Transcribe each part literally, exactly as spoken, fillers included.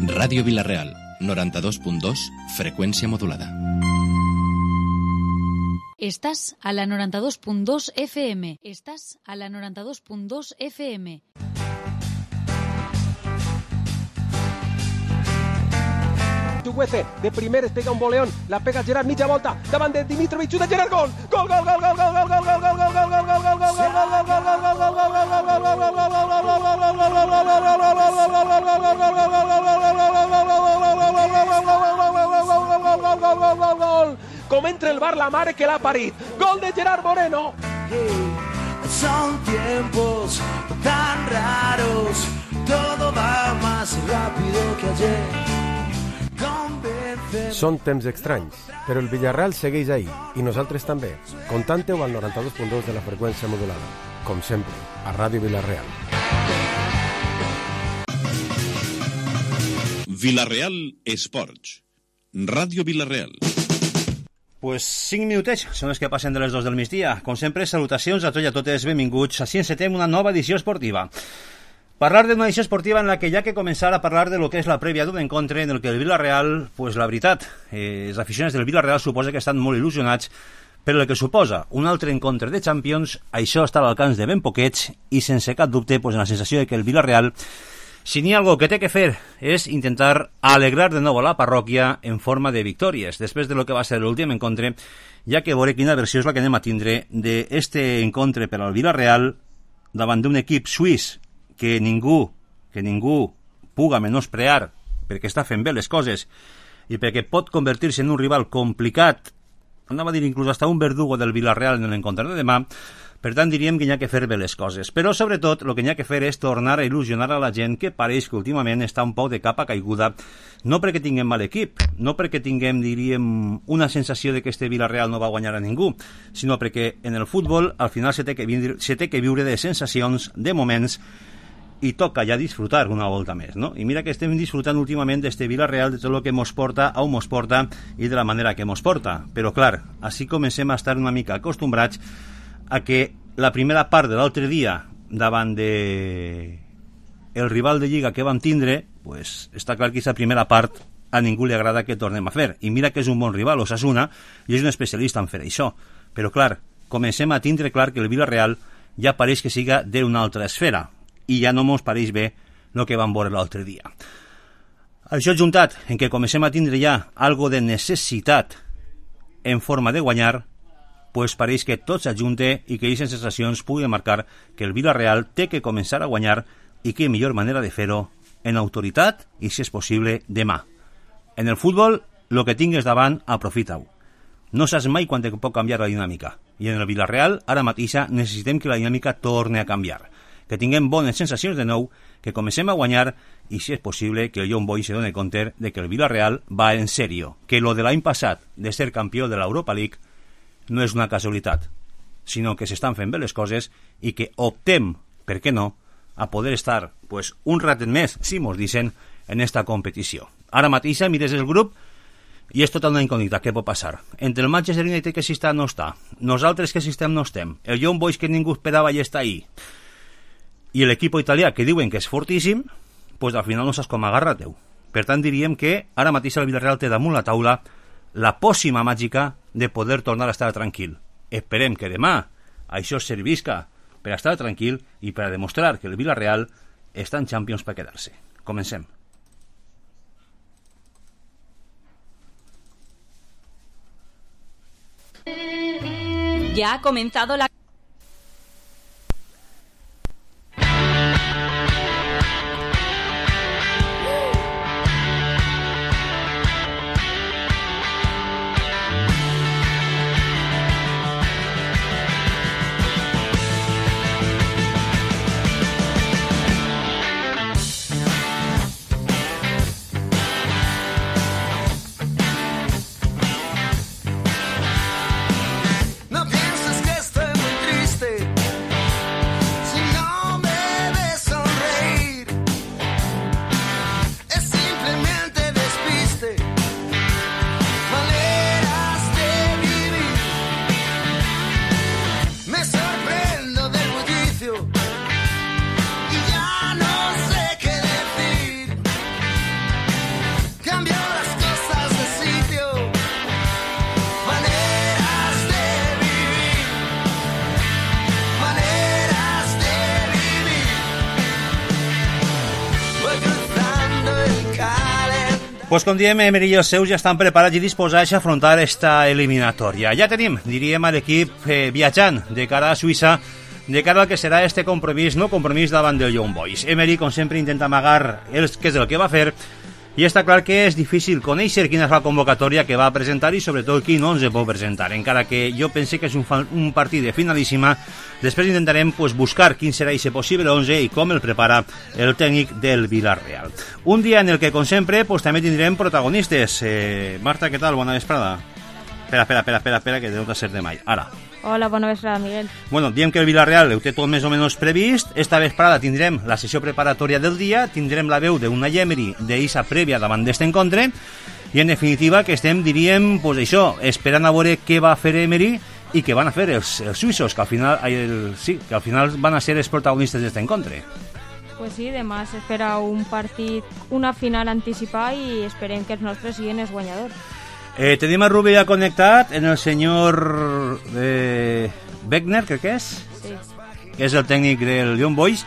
Ràdio Vila-real, noranta-dos punt dos, freqüència modulada. Estás a la noranta-dos punt dos F M. Estás a la noranta-dos punt dos F M. Tugüeze, de primer es pega un boleón, la pega Gerard, mitja volta, davant de Dimitrovic, xuta Gerard, gol! Gol, gol, gol, gol, gol, gol, gol, gol, gol, gol, gol, gol, gol, gol, gol, gol, com entra el bar la mare que l'ha parit. Gol de Gerard Moreno. Son tiempos tan raros, todo va más rápido que ayer. Són temps estranys, però el Villarreal segueix ahí, i nosaltres també. Contante-ho al noranta-dos punt dos de la freqüència modulada. Com sempre, a Ràdio Vila-real. Vila-real Esports. Ràdio Vila-real. Pues cinc minutets són els que passen de les dos del migdia. Com sempre, salutacions a tots i a totes, benvinguts. Així encetem una nova edició esportiva. Parlar d'una edició esportiva en la que ja que començar a parlar de lo que és la prèvia d'un encontre en el que el Villarreal, pues la veritat, eh, els aficionats del Villarreal suposa que estan molt il·lusionats per el que suposa un altre encontre de Champions. Això està a l'alcance de ben poquets i sense cap dubte pues, en la sensació de que el Villarreal, si n'hi ha algo que té que fer, és intentar alegrar de nou a la parròquia en forma de victòries, després de lo que va ser l'últim encontre, ja que veuré quina versió és la que anem a tindre d'este encontre per al Villarreal davant d'un equip suís que ningú, que ningú puga menosprear perquè està fent bé les coses i perquè pot convertir-se en un rival complicat, anava a dir inclús hasta un verdugo del Villarreal en l'encontre de demà. Per tant diríem que hi ha que fer bé les coses, però sobretot el que hi ha que fer és tornar a il·lusionar a la gent que pareix que últimament està un poc de capa caiguda, no perquè tinguem mal equip, no perquè tinguem, diríem, una sensació de que este Villarreal no va guanyar a ningú, sinó perquè en el futbol al final se té que, vindre, se té que viure de sensacions, de moments, i toca ja disfrutar una volta més, no? I mira que estem disfrutant últimament d'este Villarreal, de tot el que mos porta, on mos porta i de la manera que mos porta. Però clar, així comencem a estar una mica acostumbrats a que la primera part de l'altre dia davant de el rival de Lliga que vam tindre, pues està clar que aquesta primera part a ningú li agrada que tornem a fer. I mira que és un bon rival, Osasuna, i és un especialista en fer això. Però clar, comencem a tindre clar que el Villarreal ja pareix que siga d'una altra esfera i ja no mos pareix bé el que vam veure l'altre dia. Això juntat en què comencem a tindre ja algo de necessitat en forma de guanyar, pues pareix que tot s'ajunte i que aquestes sensacions pugui marcar que el Villarreal té que començar a guanyar i que millor manera de fer-ho en autoritat i, si és possible, demà. En el futbol, el que tingues davant, aprofita-ho. No saps mai quan te pot canviar la dinàmica. I en el Villarreal, ara mateixa, necessitem que la dinàmica torni a canviar. Que tinguem bones sensacions de nou, que comencem a guanyar i, si és possible, que el John Boy se doni compte de que el Villarreal va en sèrio, que lo de l'any passat de ser campió de l'Europa League no és una casualitat, sinó que s'estan fent bé les coses i que optem, per què no, a poder estar pues, un ratet més, si mos dicen, en esta competició. Ara mateixa mires el grup i és tota una incògnita, què pot passar? Entre el Manchester United que si està no està, nosaltres que si estem no estem, el Young Boys que ningú esperava i està ahí, i l'equip italià que diuen que és fortíssim, pues al final no saps com agarrar-te-ho. Per tant diríem que ara mateix el Villarreal té damunt la taula la pòssima màgica de poder tornar a estar tranquil. Esperem que demà això servisca per a estar tranquil i per a demostrar que el Villarreal està en Champions per quedar-se. Comencem. Ya ha comenzado la... No pienses que estoy muy Pues com diem, Emery i els seus ja estan preparats i disposats a afrontar esta eliminatòria. Ja tenim, diríem, a l'equip eh, viatjant de cara a Suïssa, de cara al que serà este compromís, no compromís davant del Young Boys. Emery, com sempre, intenta amagar el, què és el que va fer, i està clar que és difícil conèixer quina és la convocatòria que va presentar i sobretot quin onze pot presentar, encara que jo pense que és un, un partit de finalíssima. Després intentarem pues, buscar quin serà aquest possible onze i com el prepara el tècnic del Villarreal. Un dia en el que, com sempre, pues, també tindrem protagonistes. Eh, Marta, què tal? Bona vesprada. Espera, espera, espera, espera, espera que deu de ser de mai. Ara. Hola, bona vesprada, Miguel. Bueno, diem que el Villarreal ho té tot més o menys previst. Esta vesprada tindrem la sessió preparatòria del dia, tindrem la veu d'una Emery d'Issa prèvia davant d'este encontre, i en definitiva que estem, diríem, pues això, esperant a veure què va fer Emery i què van a fer els, els suïssos, que al final el, sí, que al final van a ser els protagonistes d'este encontre. Pues sí, demà s'espera un partit, una final anticipada i esperem que els nostres siguin els guanyadors. Eh, tenim a Rubí ja connectat en el senyor eh, Wegner, crec que és, sí. Que és el tècnic del Young Boys,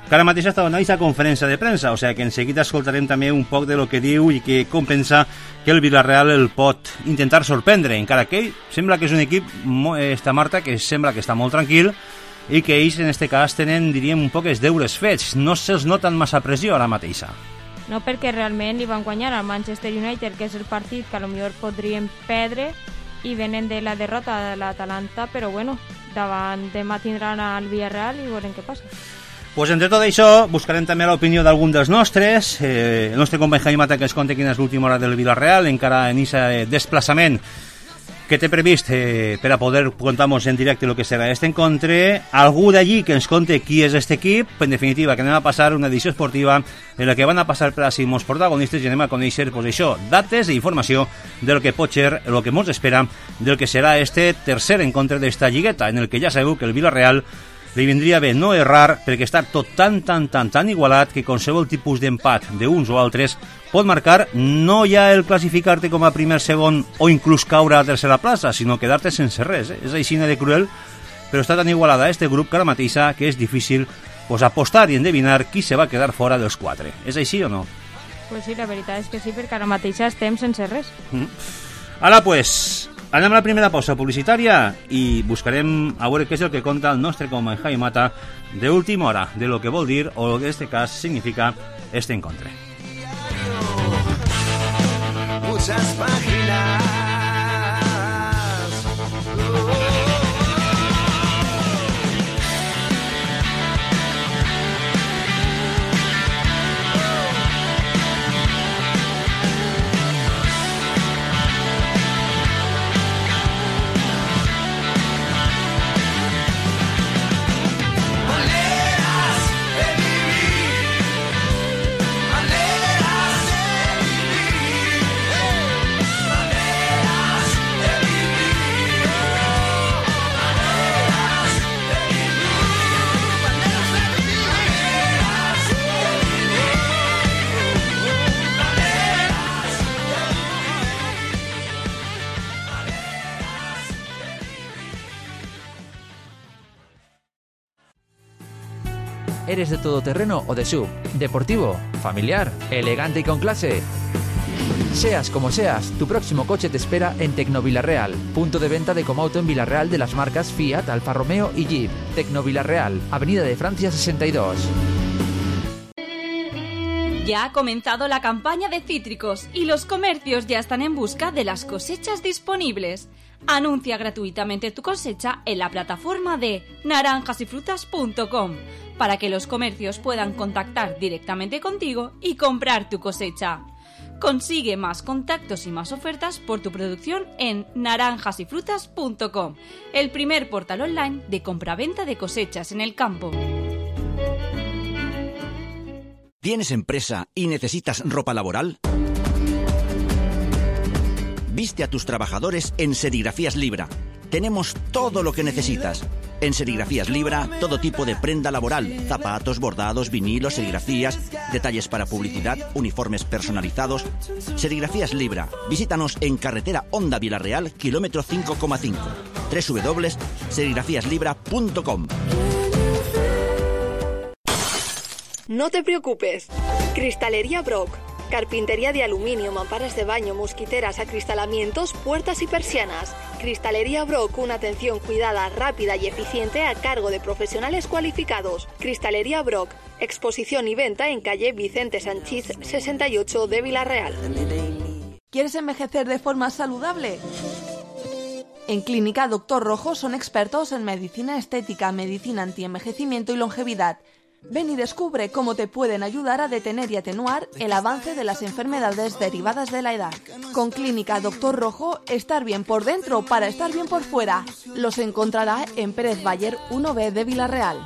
que ara mateix està donant aquesta conferència de premsa, o sigui que en seguida escoltarem també un poc de lo que diu i que com pensa que el Villarreal el pot intentar sorprendre, encara que ell sembla que és un equip, esta Marta, que sembla que està molt tranquil i que ells en este cas tenen, diríem, un poc els deures fets, no se'ls noten massa pressió ara mateixa. No, perquè realment li van guanyar al Manchester United, que és el partit que potser podrien perdre, i venen de la derrota de l'Atalanta, però bueno, davant demà tindran al Villarreal i veurem què passa. Pues entre tot això buscarem també l'opinió d'algun dels nostres. Eh, el nostre company Jaime Mata que ens conta quina és l'última hora del Villarreal, encara en aquest desplaçament que té previst eh, per a poder contar-nos en directe el que serà aquest encontre. Algú d'allí que ens conte qui és aquest equip. En definitiva, que anem a passar una edició esportiva en la que van a passar per així molts protagonistes i anem a conèixer pues, això, dates i informació del que pot ser, el que ens espera del que serà este tercer encontre d'esta lligueta, en el que ja sabeu que el Villarreal li vindria bé no errar perquè està tot tan, tan, tan, tan igualat que qualsevol tipus d'empat d'uns o altres pot marcar no ja el classificar-te com a primer, segon o inclús caure a tercera plaça, sinó quedar-te sense res. Eh? És així de cruel, però està tan igualada este grup que ara mateixa que és difícil pues, apostar i endevinar qui se va quedar fora dels quatre. És així o no? Pues sí, la veritat és que sí, perquè ara mateixa estem sense res. Mm. Ara, pues, anem a la primera pausa publicitària i buscarem a veure què és el que conta el nostre company Jaime Mata d'última hora, de lo que vol dir o en este cas significa este encontre. Muchas páginas. ¿Eres de todoterreno o de sub? ¿Deportivo? ¿Familiar? ¿Elegante y con clase? Seas como seas, tu próximo coche te espera en Tecnovillarreal, punto de venta de Comauto en Villarreal de las marcas Fiat, Alfa Romeo y Jeep. Tecnovillarreal, Avenida de Francia sesenta y dos. Ya ha comenzado la campaña de cítricos y los comercios ya están en busca de las cosechas disponibles. Anuncia gratuitamente tu cosecha en la plataforma de naranjas y frutas punto com para que los comercios puedan contactar directamente contigo y comprar tu cosecha. Consigue más contactos y más ofertas por tu producción en naranjas y frutas punto com, el primer portal online de compraventa de cosechas en el campo. ¿Tienes empresa y necesitas ropa laboral? Viste a tus trabajadores en Serigrafías Libra. Tenemos todo lo que necesitas. En Serigrafías Libra, todo tipo de prenda laboral, zapatos, bordados, vinilos, serigrafías, detalles para publicidad, uniformes personalizados. Serigrafías Libra. Visítanos en carretera Honda Villarreal, kilómetro cinco coma cinco. doble u doble u doble u punto serigrafías libra punto com. No te preocupes. Cristalería Brock. Carpintería de aluminio, mamparas de baño, mosquiteras, acristalamientos, puertas y persianas. Cristalería Brock, una atención cuidada, rápida y eficiente a cargo de profesionales cualificados. Cristalería Brock, exposición y venta en calle Vicente Sanchís sesenta y ocho de Vila-real. ¿Quieres envejecer de forma saludable? En Clínica Doctor Rojo son expertos en medicina estética, medicina antienvejecimiento y longevidad. Ven y descubre cómo te pueden ayudar a detener y atenuar el avance de las enfermedades derivadas de la edad. Con Clínica Doctor Rojo, estar bien por dentro para estar bien por fuera. Los encontrará en Pérez Baller uno B de Vila-real.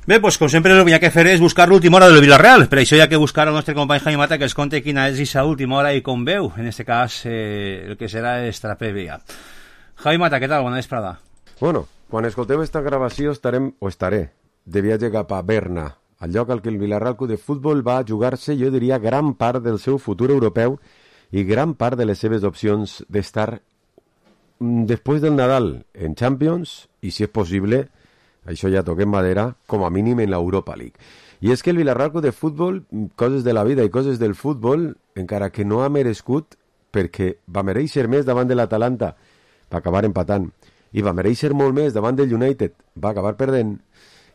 Bé, doncs com sempre el que hi ha que fer és buscar l'última hora del Vila-real. Per això hi ha que buscar al nostre company Jaime Mata que ens conte quina és aquesta última hora i com veu, en este cas, eh, el que serà esta prèvia. Jaime Mata, què tal? Bona vesprada. Bueno, quan escolteu esta gravació estarem, o estaré, de viatge cap a Berna, al lloc al que el Vila-real Club de Futbol va jugar-se, jo diria, gran part del seu futur europeu i gran part de les seves opcions d'estar després del Nadal en Champions i, si és possible, això ja toquem madera, com a mínim en l'Europa League. I és que el Vila-real Club de Futbol, coses de la vida i coses del futbol, encara que no ha merescut, perquè va mereixer més davant de l'Atalanta, va acabar empatant, i va mereixer molt més davant del United, va acabar perdent,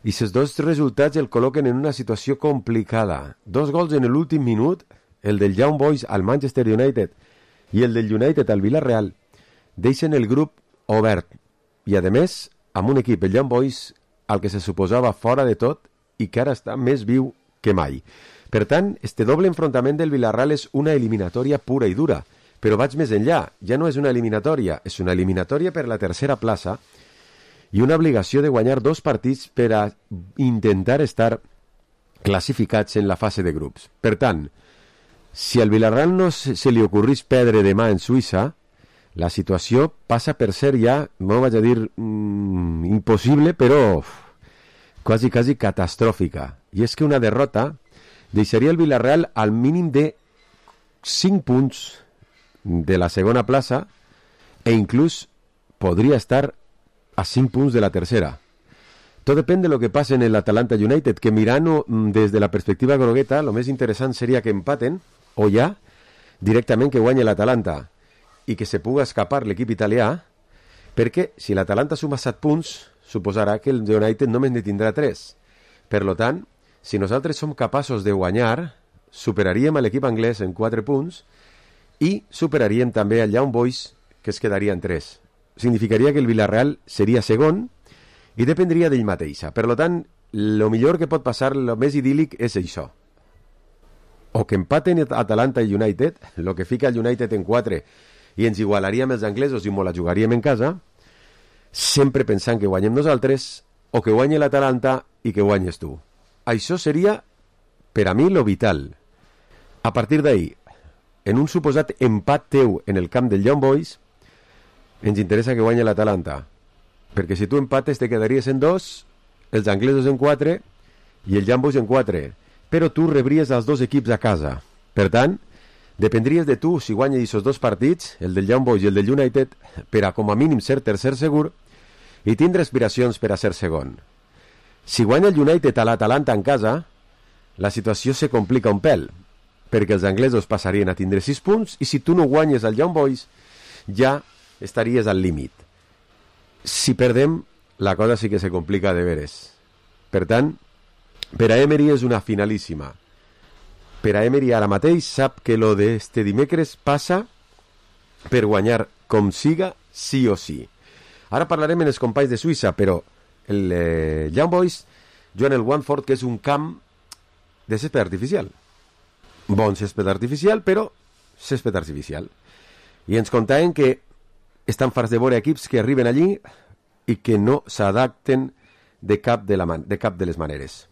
i aquests dos resultats el col·loquen en una situació complicada. Dos gols en l'últim minut, el del Young Boys al Manchester United i el del United al Vila-real, deixen el grup obert, i a més, amb un equip, el Young Boys, al que se suposava fora de tot i que ara està més viu que mai. Per tant, este doble enfrontament del Vila-real és una eliminatòria pura i dura, però vaig més enllà, ja no és una eliminatòria, és una eliminatòria per la tercera plaça i una obligació de guanyar dos partits per a intentar estar classificats en la fase de grups. Per tant, si al Vila-real no se li ocorrís perdre demà en Suïssa, la situació passa per ser ja, no vaig a dir mmm, impossible, però uf, quasi, quasi catastròfica. I és que una derrota deixaria el Vila-real al mínim de cinc punts de la segona plaça e inclús podria estar a cinc punts de la tercera. Tot depèn de lo que passa en l'Atalanta United, que mirant des de la perspectiva grogueta, lo més interessant seria que empaten, o ja, directament que guanyi l'Atalanta i que se puga escapar l'equip italià, perquè si l'Atalanta suma set punts, suposarà que el United només ne tindrà tres. Per lo tant, si nosaltres som capaços de guanyar, superaríem a l'equip anglès en quatre punts i superaríem també al Young Boys, que es quedaria en tres. Significaria que el Vila-real seria segon i dependria d'ell mateixa. Per tant, el millor que pot passar, el més idíl·lic, és això. O que empaten Atalanta i United, el que fica el United en quatre i ens igualaríem els anglesos i molt la jugaríem en casa, sempre pensant que guanyem nosaltres, o que guanyi l'Atalanta i que guanyes tu. Això seria, per a mi, lo vital. A partir d'ahir, en un suposat empat teu en el camp del Young Boys, ens interessa que guanyi l'Atalanta, perquè si tu empates te quedaries en dos, els anglesos en quatre i el Young Boys en quatre, però tu rebries els dos equips a casa. Per tant, dependries de tu si guanyes aquests dos partits, el del Young Boys i el del United, per a com a mínim ser tercer segur i tindre aspiracions per a ser segon. Si guanya el United a l'Atalanta en casa, la situació se complica un pèl, perquè els anglesos passarien a tindre sis punts i si tu no guanyes al Young Boys, ja estaries al límit. Si perdem, la cosa sí que se complica de veres. Per tant, per a Emery és una finalíssima. Per a Emery ara mateix sap que lo d'este dimecres passa per guanyar com siga, sí o sí. Ara parlarem amb els companys de Suïssa, però el eh, Young Boys juguen el Watford, que és un camp de césped artificial. Bon césped artificial, però césped artificial. I ens contaven que estan farts de veure equips que arriben allí i que no s'adapten de cap de, la man de cap de les maneres.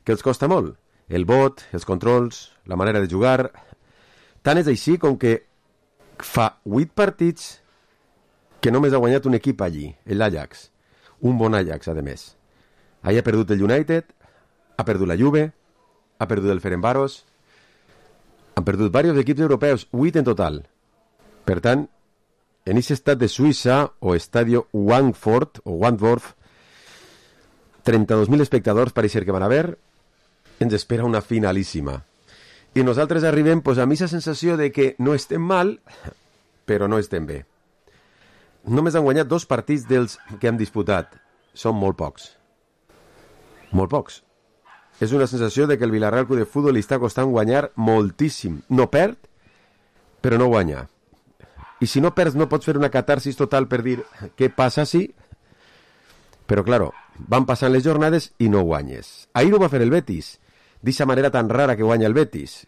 Que els costa molt. El vot, els controls, la manera de jugar. Tant és així com que fa vuit partits que només ha guanyat un equip allí, l'Ajax. Un bon Ajax, a més. Allà ha perdut el United, ha perdut la Juve, ha perdut el Ferencváros, han perdut diversos equips europeus, vuit en total. Per tant, en aquest estat de Suïssa, o estadio Watford, o Watford, trenta-dos mil espectadors pareix ser que van a ver, ens espera una finalíssima. i nosaltres arribem pues, a mi la sensació de que no estem mal, però no estem bé. Només han guanyat dos partits dels que han disputat. Són molt pocs. Molt pocs. És una sensació de que el Villarreal Club de Futbol li està costant guanyar moltíssim. No perd, però no guanya. I si no perds no pots fer una catarsis total per dir què passa si... Però, claro, van passant les jornades i no guanyes. Ahir ho va fer el Betis, d'aquesta manera tan rara que guanya el Betis,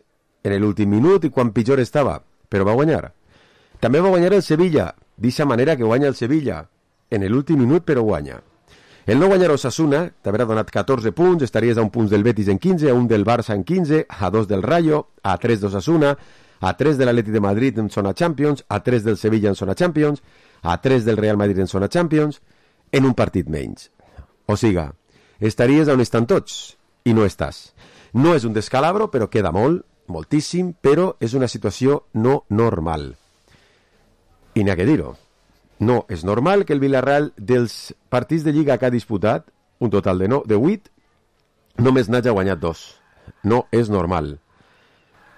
en l'últim minut i quan pitjor estava, però va guanyar. També va guanyar el Sevilla, d'aquesta manera que guanya el Sevilla, en l'últim minut però guanya. El no guanyar Osasuna t'haurà donat catorze punts, estaries a un punt del Betis en quinze, a un del Barça en quinze, a dos del Rayo, a tres d'Osasuna, a tres de l'Atlètic de Madrid en zona Champions, a tres del Sevilla en zona Champions, a tres del Real Madrid en zona Champions, en un partit menys. O siga, estaries on estan tots, i no estàs. No és un descalabro, però queda molt, moltíssim, però és una situació no normal. I n'hi ha que dir-ho. No és normal que el Villarreal dels partits de Lliga que ha disputat, un total de, no, de vuit, només n'hagi guanyat dos. No és normal.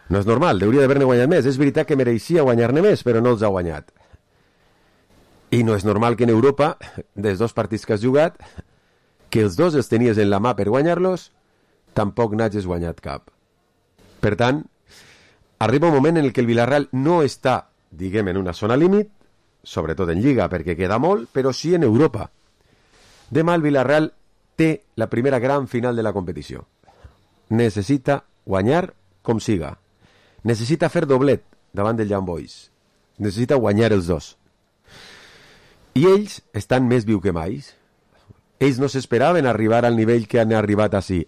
No és normal, hauria d'haver-ne guanyat més. És veritat que mereixia guanyar-ne més, però no els ha guanyat. I no és normal que en Europa, dels dos partits que has jugat, que els dos els tenies en la mà per guanyar-los, tampoc n'hagis guanyat cap. Per tant, arriba un moment en el que el Villarreal no està, diguem, en una zona límit, sobretot en Lliga, perquè queda molt, però sí en Europa. Demà el Villarreal té la primera gran final de la competició. Necessita guanyar com siga. Necessita fer doblet davant del Young Boys. Necessita guanyar els dos. I ells estan més viu que mai. Ells no s'esperaven arribar al nivell que han arribat així.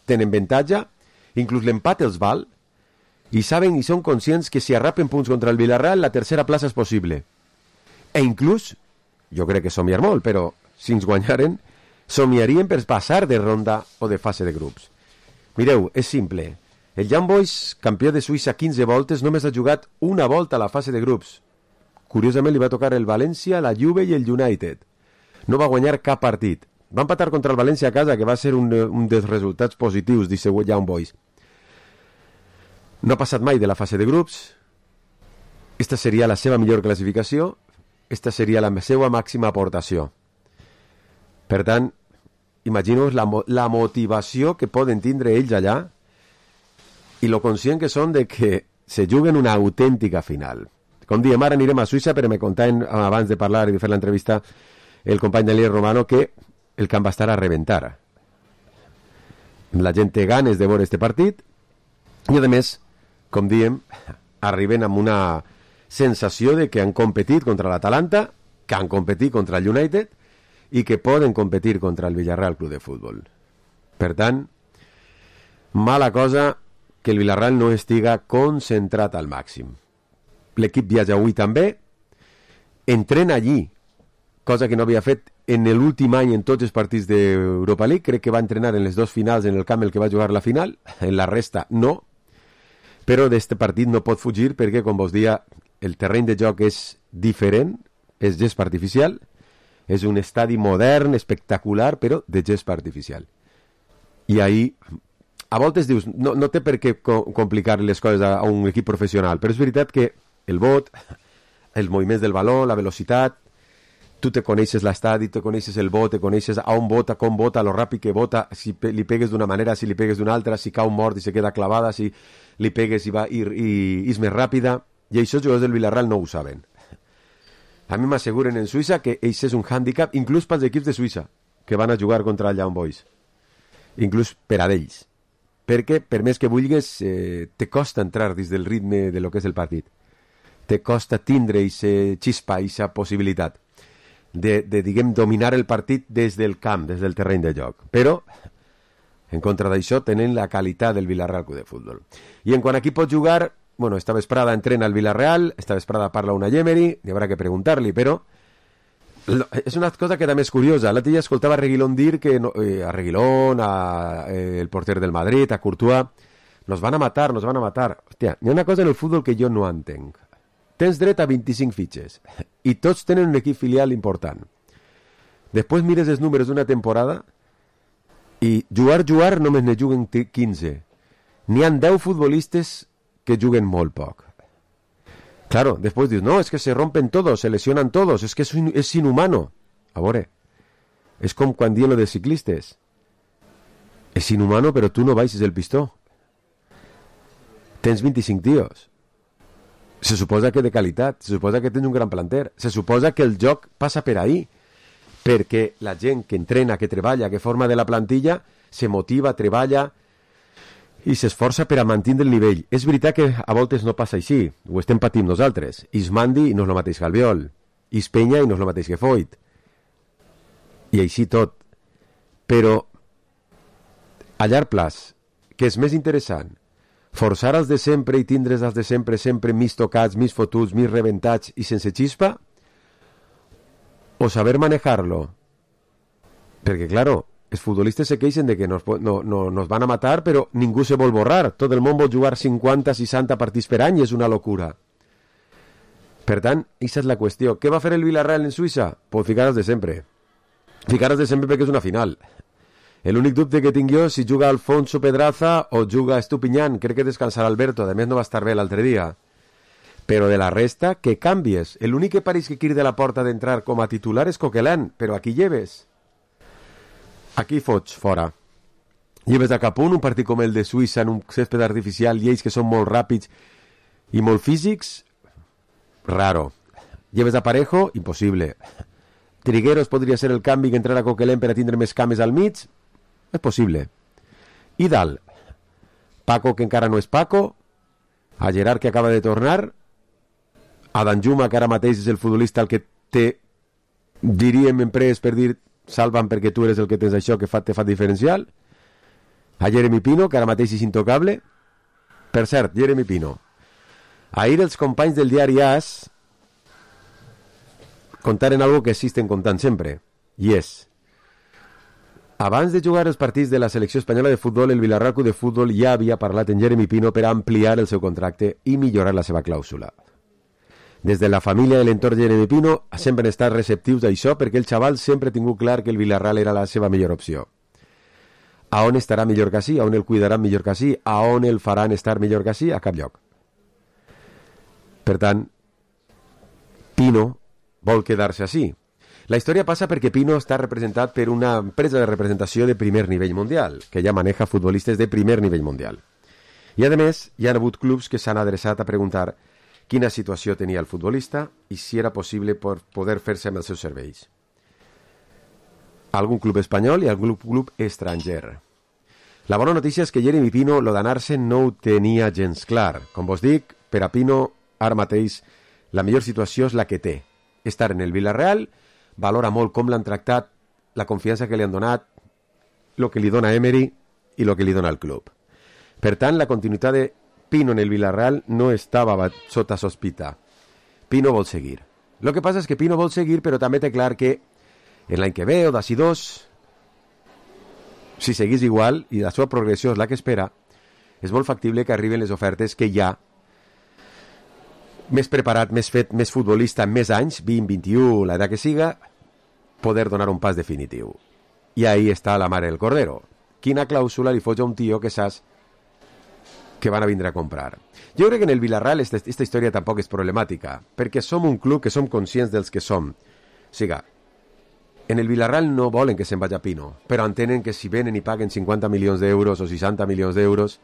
Tenen avantatge, inclús l'empat els val, i saben i són conscients que si arrapen punts contra el Villarreal, la tercera plaça és possible. E inclús, jo crec que somiar molt, però si ens guanyaren, somiarien per passar de ronda o de fase de grups. Mireu, és simple. El Young Boys, campió de Suïssa quinze voltes, només ha jugat una volta a la fase de grups. Curiosament li va tocar el València, la Juve i el United. No va guanyar cap partit. Va empatar contra el València a casa, que va ser un, un dels resultats positius d'aquest Young Boys. No ha passat mai de la fase de grups. Esta seria la seva millor classificació. Esta seria la seva màxima aportació. Per tant, imagino la, la motivació que poden tindre ells allà i lo conscient que són de que se juguen una autèntica final. Com diem, ara anirem a Suïssa, però me contaven abans de parlar i de fer l'entrevista el company Daniel Romano que el camp va estar a reventar. La gent té ganes de veure este partit i, a més, com diem, arriben amb una sensació de que han competit contra l'Atalanta, que han competit contra el United i que poden competir contra el Villarreal Club de Futbol. Per tant, mala cosa que el Villarreal no estiga concentrat al màxim. L'equip viatja avui també, entrena allí, cosa que no havia fet en l'últim any en tots els partits d'Europa League. Crec que va entrenar en les dues finals en el camp en el que va jugar la final, en la resta no, però d'este partit no pot fugir perquè, com vos dia, el terreny de joc és diferent, és gespa artificial, és un estadi modern, espectacular, però de gespa artificial. I ahir, a voltes dius, no, no té per què complicar les coses a, a un equip professional, però és veritat que el bot, els moviments del baló, la velocitat, tu te coneixes l'estadi, te coneixes el bot, te coneixes a on bota, com bota, lo ràpid que bota, si pe li pegues d'una manera, si li pegues d'una altra, si cau mort i se queda clavada, si li pegues i va i, i, i és més ràpida, i això els jugadors del Villarreal no ho saben. A mi m'asseguren en Suïssa que això és un hàndicap, inclús pels equips de Suïssa, que van a jugar contra el Young Boys. Inclús per a d'ells. Perquè, per més que vulguis, eh, te costa entrar dins del ritme de lo que és el partit. Te costa tindre aquesta xispa, aquesta possibilitat de, de, diguem, dominar el partit des del camp, des del terreny de joc. Però, en contra d'això, tenen la qualitat del Villarreal Club de Futbol. I en quant a qui pot jugar, bueno, esta vesprada entrena el Villarreal, esta vesprada parla una Emery, hi haurà que preguntar-li, però és una cosa que també és curiosa. L'altre dia escoltava a Reguilón dir que no, eh, a Reguilón, a, eh, el porter del Madrid, a Courtois, nos van a matar, nos van a matar. Hòstia, hi ha una cosa en el futbol que jo no entenc. Tens dret a vint-i-cinc fitxes i tots tenen un equip filial important. Després mires els números d'una temporada i jugar, jugar només ne juguen quinze. N'hi han deu futbolistes que juguen molt poc. Claro, después dius, no, es que se rompen todos, se lesionan todos, es que es, un, es inhumano. A veure, és com quan diuen lo de ciclistes. És inhumano, però tu no baixes el pistó. Tens vint-i-cinc tios. Se suposa que de qualitat, se suposa que tens un gran planter, se suposa que el joc passa per ahí, perquè la gent que entrena, que treballa, que forma de la plantilla, se motiva, treballa i s'esforça per a mantenir el nivell. És veritat que a voltes no passa així, ho estem patint nosaltres. Ismandi no és el mateix que Albiol, Ispeña i no és el mateix que Foyt, i així tot. Però a llarg plaç, que és més interessant, forçar els de sempre i tindre's els de sempre sempre més tocats, més fotuts, més rebentats i sense xispa, o saber manejar-lo? Perquè, claro, els futbolistes se queixen de que nos, no, no, nos van a matar, però ningú se vol borrar. Tot el món vol jugar cinquanta seixanta partits per any, és una locura. Per tant, aquesta és la qüestió. Què va fer el Villarreal en Suïssa? Pues ficar-los de sempre. Ficar-los de sempre perquè és una final. L'únic dubte que tinc jo, si juga Alfonso Pedraza o juga Estupiñán, crec que descansarà Alberto, a més no va estar bé l'altre dia. Però de la resta, que canvies. L'únic que pareix que quiere de la porta d'entrar com a titular és Coquelin, però aquí lleves. Aquí fots, fora. Lleves a cap un, un partit com el de Suïssa en un césped artificial i ells que són molt ràpids i molt físics, raro. Lleves a Parejo, impossible. Trigueros podria ser el canvi que entrarà Coquelin per a tindre més cames al mig, és possible. I dalt, Paco, que encara no és Paco, a Gerard, que acaba de tornar, a Danjuma, que ara mateix és el futbolista el que té, diríem en pres per dir salvan perquè tu eres el que tens això que fa, te fa diferencial, a Jeremy Pino, que ara mateix és intocable. Per cert, Jeremy Pino, ahir els companys del diari AS contaren algo que existen contant sempre, i és: abans de jugar els partits de la selecció espanyola de futbol, el Villarreal Club de Futbol ja havia parlat en Jeremy Pino per ampliar el seu contracte i millorar la seva clàusula. Des de la família de l'entorn Jeremy Pino sempre han estat receptius d'això perquè el xaval sempre ha tingut clar que el Villarreal era la seva millor opció. A on estarà millor que així? A on el cuidaran millor que així? A on el faran estar millor que així? A cap lloc. Per tant, Pino vol quedar-se així. La història passa perquè Pino està representat per una empresa de representació de primer nivell mundial, que ja maneja futbolistes de primer nivell mundial. I, a més, hi ha hagut clubs que s'han adreçat a preguntar quina situació tenia el futbolista i si era possible per poder fer-se amb els seus serveis. Algun club espanyol i algun club estranger. La bona notícia és que Jeremy Pino lo d'anar-se no ho tenia gens clar. Com vos dic, per a Pino, ara mateix, la millor situació és la que té. Estar en el Villarreal, valora molt com l'han tractat, la confiança que li han donat, el que li dona Emery i el que li dona el club. Per tant, la continuïtat de Pino en el Villarreal no estava sota sospita. Pino vol seguir. Lo que passa és que Pino vol seguir, però també té clar que en l'any que ve o d'ací dos, si seguís igual i la seva progressió és la que espera, és molt factible que arriben les ofertes que ja més preparat, més fet, més futbolista, més anys, vint, vint-i-u, l'edat que siga, poder donar un pas definitiu. I ahí està la mare del cordero. Quina clàusula li fots a un tio que saps que van a vindre a comprar? Jo crec que en el Villarreal esta, esta història tampoc és problemàtica, perquè som un club que som conscients dels que som. O sigui, en el Villarreal no volen que se'n vagi a Pino, però entenen que si venen i paguen cinquanta milions d'euros o seixanta milions d'euros,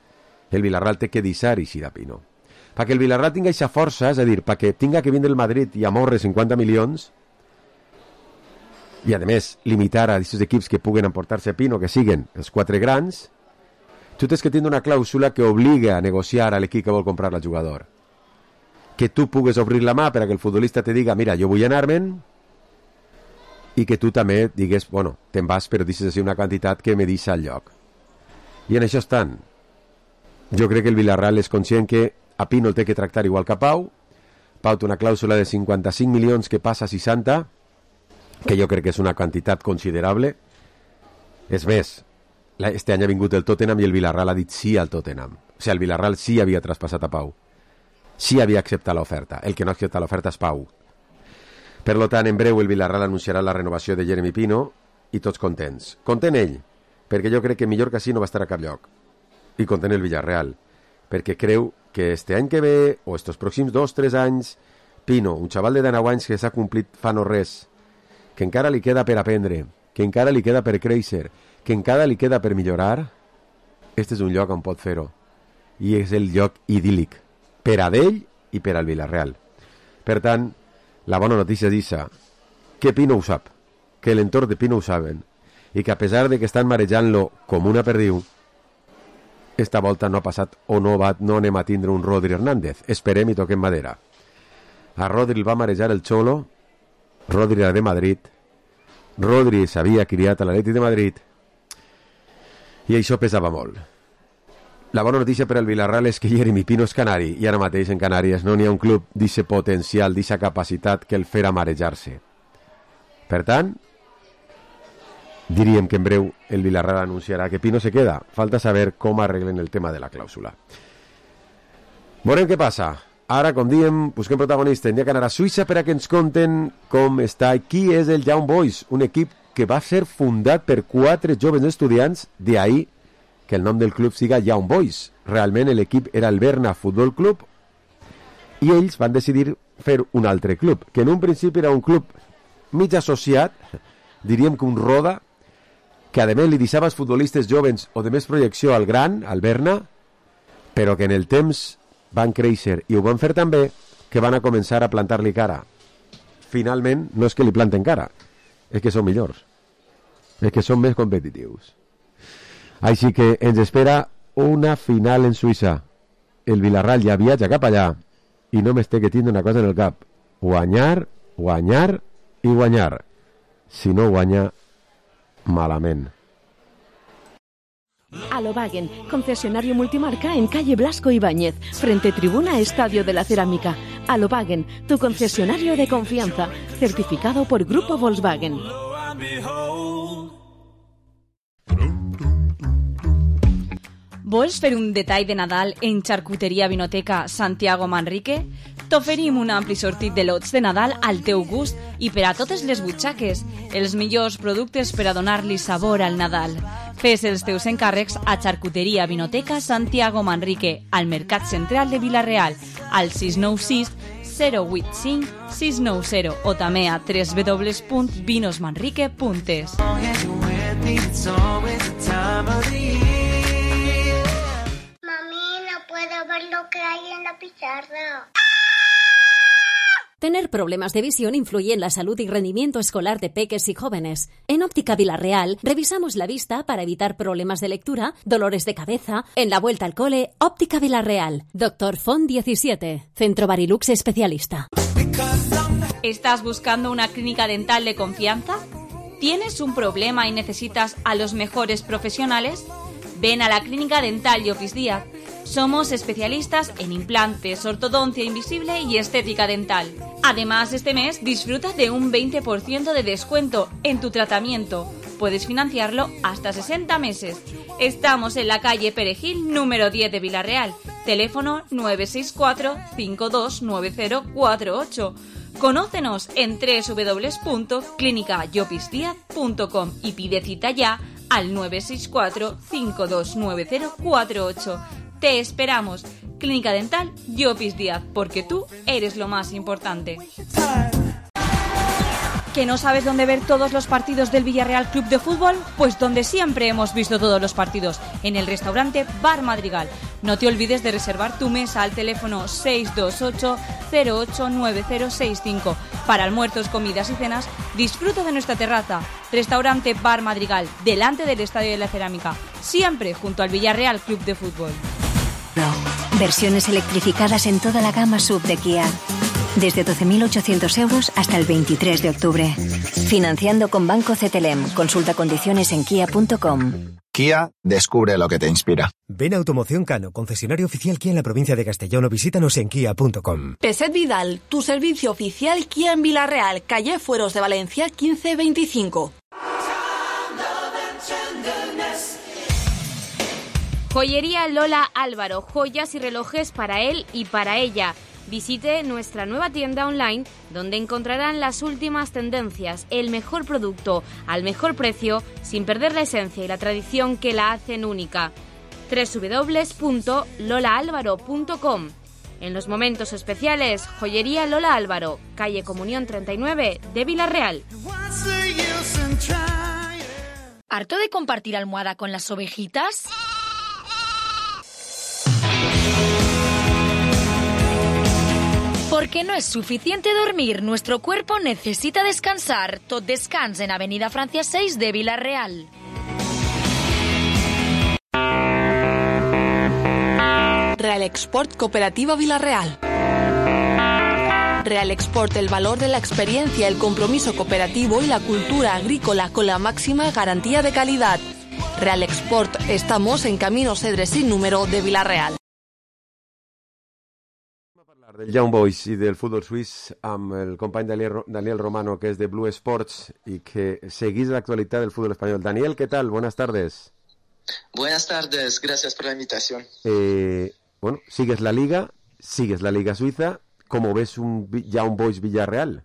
el Villarreal té que deixar eixir a Pino. Perquè el Villarreal tinga aquesta força, és a dir, perquè tinga que vindre el Madrid i amorre cinquanta milions, i a més limitar a aquests equips que puguen emportar-se a Pino, que siguen els quatre grans, tu tens que tindre una clàusula que obliga a negociar a l'equip que vol comprar el jugador. Que tu pugues obrir la mà per a que el futbolista te diga, mira, jo vull anar-me'n, i que tu també digues, bueno, te'n vas, però deixes així una quantitat que me deixa al lloc. I en això estan. Jo crec que el Villarreal és conscient que a Pino el té que tractar igual que a Pau. Pau té una clàusula de cinquanta-cinc milions que passa a seixanta, que jo crec que és una quantitat considerable. És més, este any ha vingut el Tottenham i el Villarreal ha dit sí al Tottenham. O sigui, el Villarreal sí havia traspassat a Pau. Sí havia acceptat l'oferta. El que no accepta l'oferta és Pau. Per tant, en breu el Villarreal anunciarà la renovació de Jeremy Pino i tots contents. Content ell, perquè jo crec que millor que així no va estar a cap lloc. i content el Villarreal, perquè creu que este any que ve, o estos pròxims dos o tres anys, Pino, un xaval de dinou anys que s'ha complit fa no res, que encara li queda per aprendre, que encara li queda per créixer, que encara li queda per millorar, este és un lloc on pot fer-ho. I és el lloc idíl·lic, per a d'ell i per al Villarreal. Per tant, la bona notícia és això, que Pino ho sap, que l'entorn de Pino ho saben, i que a pesar de que estan marejant-lo com una perdiu, esta volta no ha passat o no, va, no anem a tindre un Rodri Hernández. Esperem i toquem madera. A Rodri el va marejar el Cholo, Rodri era de Madrid, Rodri s'havia criat a l'Atlètic de Madrid, i això pesava molt. La bona notícia per al Villarreal és que Jeremy Pino és canari, i ara mateix en Canàries no n'hi ha un club d'aquest potencial, d'aquesta capacitat que el farà marejar-se. Per tant, diríem que en breu el Villarreal anunciarà que Pino se queda. Falta saber com arreglen el tema de la clàusula. Veurem què passa. Ara, com diem, busquem protagonista. Hem d'anar a Suïssa per a que ens conten com està i qui és el Young Boys, un equip que va ser fundat per quatre joves estudiants, d'ahir que el nom del club siga Young Boys. Realment l'equip era el Berna Futbol Club i ells van decidir fer un altre club, que en un principi era un club mig associat, diríem que un Roda, que a més li deixava els futbolistes joves o de més projecció al gran, al Berna, però que en el temps van créixer i ho van fer també que van a començar a plantar-li cara. Finalment, no és que li planten cara, és que són millors, és que són més competitius. Així que ens espera una final en Suïssa. El Villarreal ja viatja cap allà i només té que tindre una cosa en el cap: guanyar, guanyar i guanyar. Si no guanya, malament. Alobagen, concesionario multimarca en calle Blasco Ibáñez, frente tribuna Estadio de la Cerámica. Alobagen, tu concesionario de confianza, certificado por Grupo Volkswagen. Vols fer un detall de Nadal en Charcuteria Vinoteca Santiago Manrique? T'oferim un ampli sortit de lots de Nadal al teu gust i per a totes les butxaques, els millors productes per a donar-li sabor al Nadal. Fes els teus encàrrecs a Charcuteria Vinoteca Santiago Manrique, al Mercat Central de Vila-real, al sis nou sis zero vuit cinc sis nou zero o també a w w w punt vinos manrique punt es. Puedo ver lo que hay en la pizarra. Tener problemas de visión influye en la salud y rendimiento escolar de peques y jóvenes. En Óptica Vila-real revisamos la vista para evitar problemas de lectura, dolores de cabeza. En la vuelta al cole, Óptica Vila-real. Doctor Font diecisiete. Centro Barilux especialista. ¿Estás buscando una clínica dental de confianza? ¿Tienes un problema y necesitas a los mejores profesionales? Ven a la Clínica Dental Llopis Díaz. Somos especialistas en implantes, ortodoncia invisible y estética dental. Además, este mes disfruta de un veinte por ciento de descuento en tu tratamiento. Puedes financiarlo hasta sesenta meses. Estamos en la calle Perejil, número diez de Vila-real. Teléfono nueve seis cuatro cinco dos nueve cero cuatro ocho. Conócenos en w w w punto clínica llopis díaz punto com y pide cita ya al nueve seis cuatro cinco dos nueve cero cuatro ocho. Te esperamos. Clínica Dental Llopis Díaz, porque tú eres lo más importante. ¿Que no sabes dónde ver todos los partidos del Villarreal Club de Fútbol? Pues donde siempre hemos visto todos los partidos, en el restaurante Bar Madrigal. No te olvides de reservar tu mesa al teléfono seis dos ocho cero ocho nueve cero seis cinco. Para almuerzos, comidas y cenas, disfruta de nuestra terraza. Restaurante Bar Madrigal, delante del Estadio de la Cerámica, siempre junto al Villarreal Club de Fútbol. Versiones electrificadas en toda la gama sub de Kia. Desde doce mil ochocientos euros hasta el veintitrés de octubre. Financiando con Banco C T L E M. Consulta condiciones en kia punto com. Kia, descubre lo que te inspira. Ven a Automoción Cano, concesionario oficial Kia en la provincia de Castellón, o visítanos en kia punto com. Peset Vidal, tu servicio oficial Kia en Vila-real, calle Fueros de Valencia quince veinticinco. Joyería Lola Álvaro, joyas y relojes para él y para ella. Visite nuestra nueva tienda online donde encontrarán las últimas tendencias, el mejor producto al mejor precio, sin perder la esencia y la tradición que la hacen única. doble u doble u doble u punto lola álvaro punto com. En los momentos especiales, Joyería Lola Álvaro, calle Comunión treinta y nueve de Villarreal. ¿Harto de compartir almohada con las ovejitas? Porque no es suficiente dormir, nuestro cuerpo necesita descansar. Tot Descans en Avenida Francia seis de Villarreal. Real Export Cooperativa Villarreal. Real Export, el valor de la experiencia, el compromiso cooperativo y la cultura agrícola con la máxima garantía de calidad. Real Export, estamos en Camino Cedre sin número de Villarreal. Del Young Boys i del futbol suís amb el company Daniel, Daniel Romano, que és de Blue Sports i que seguís l'actualitat del futbol espanyol. Daniel, ¿qué tal? Buenas tardes. Buenas tardes, gracias por la invitación. Eh, bueno, sigues la Liga, sigues la Liga Suiza. ¿Cómo ves un Young Boys Villarreal?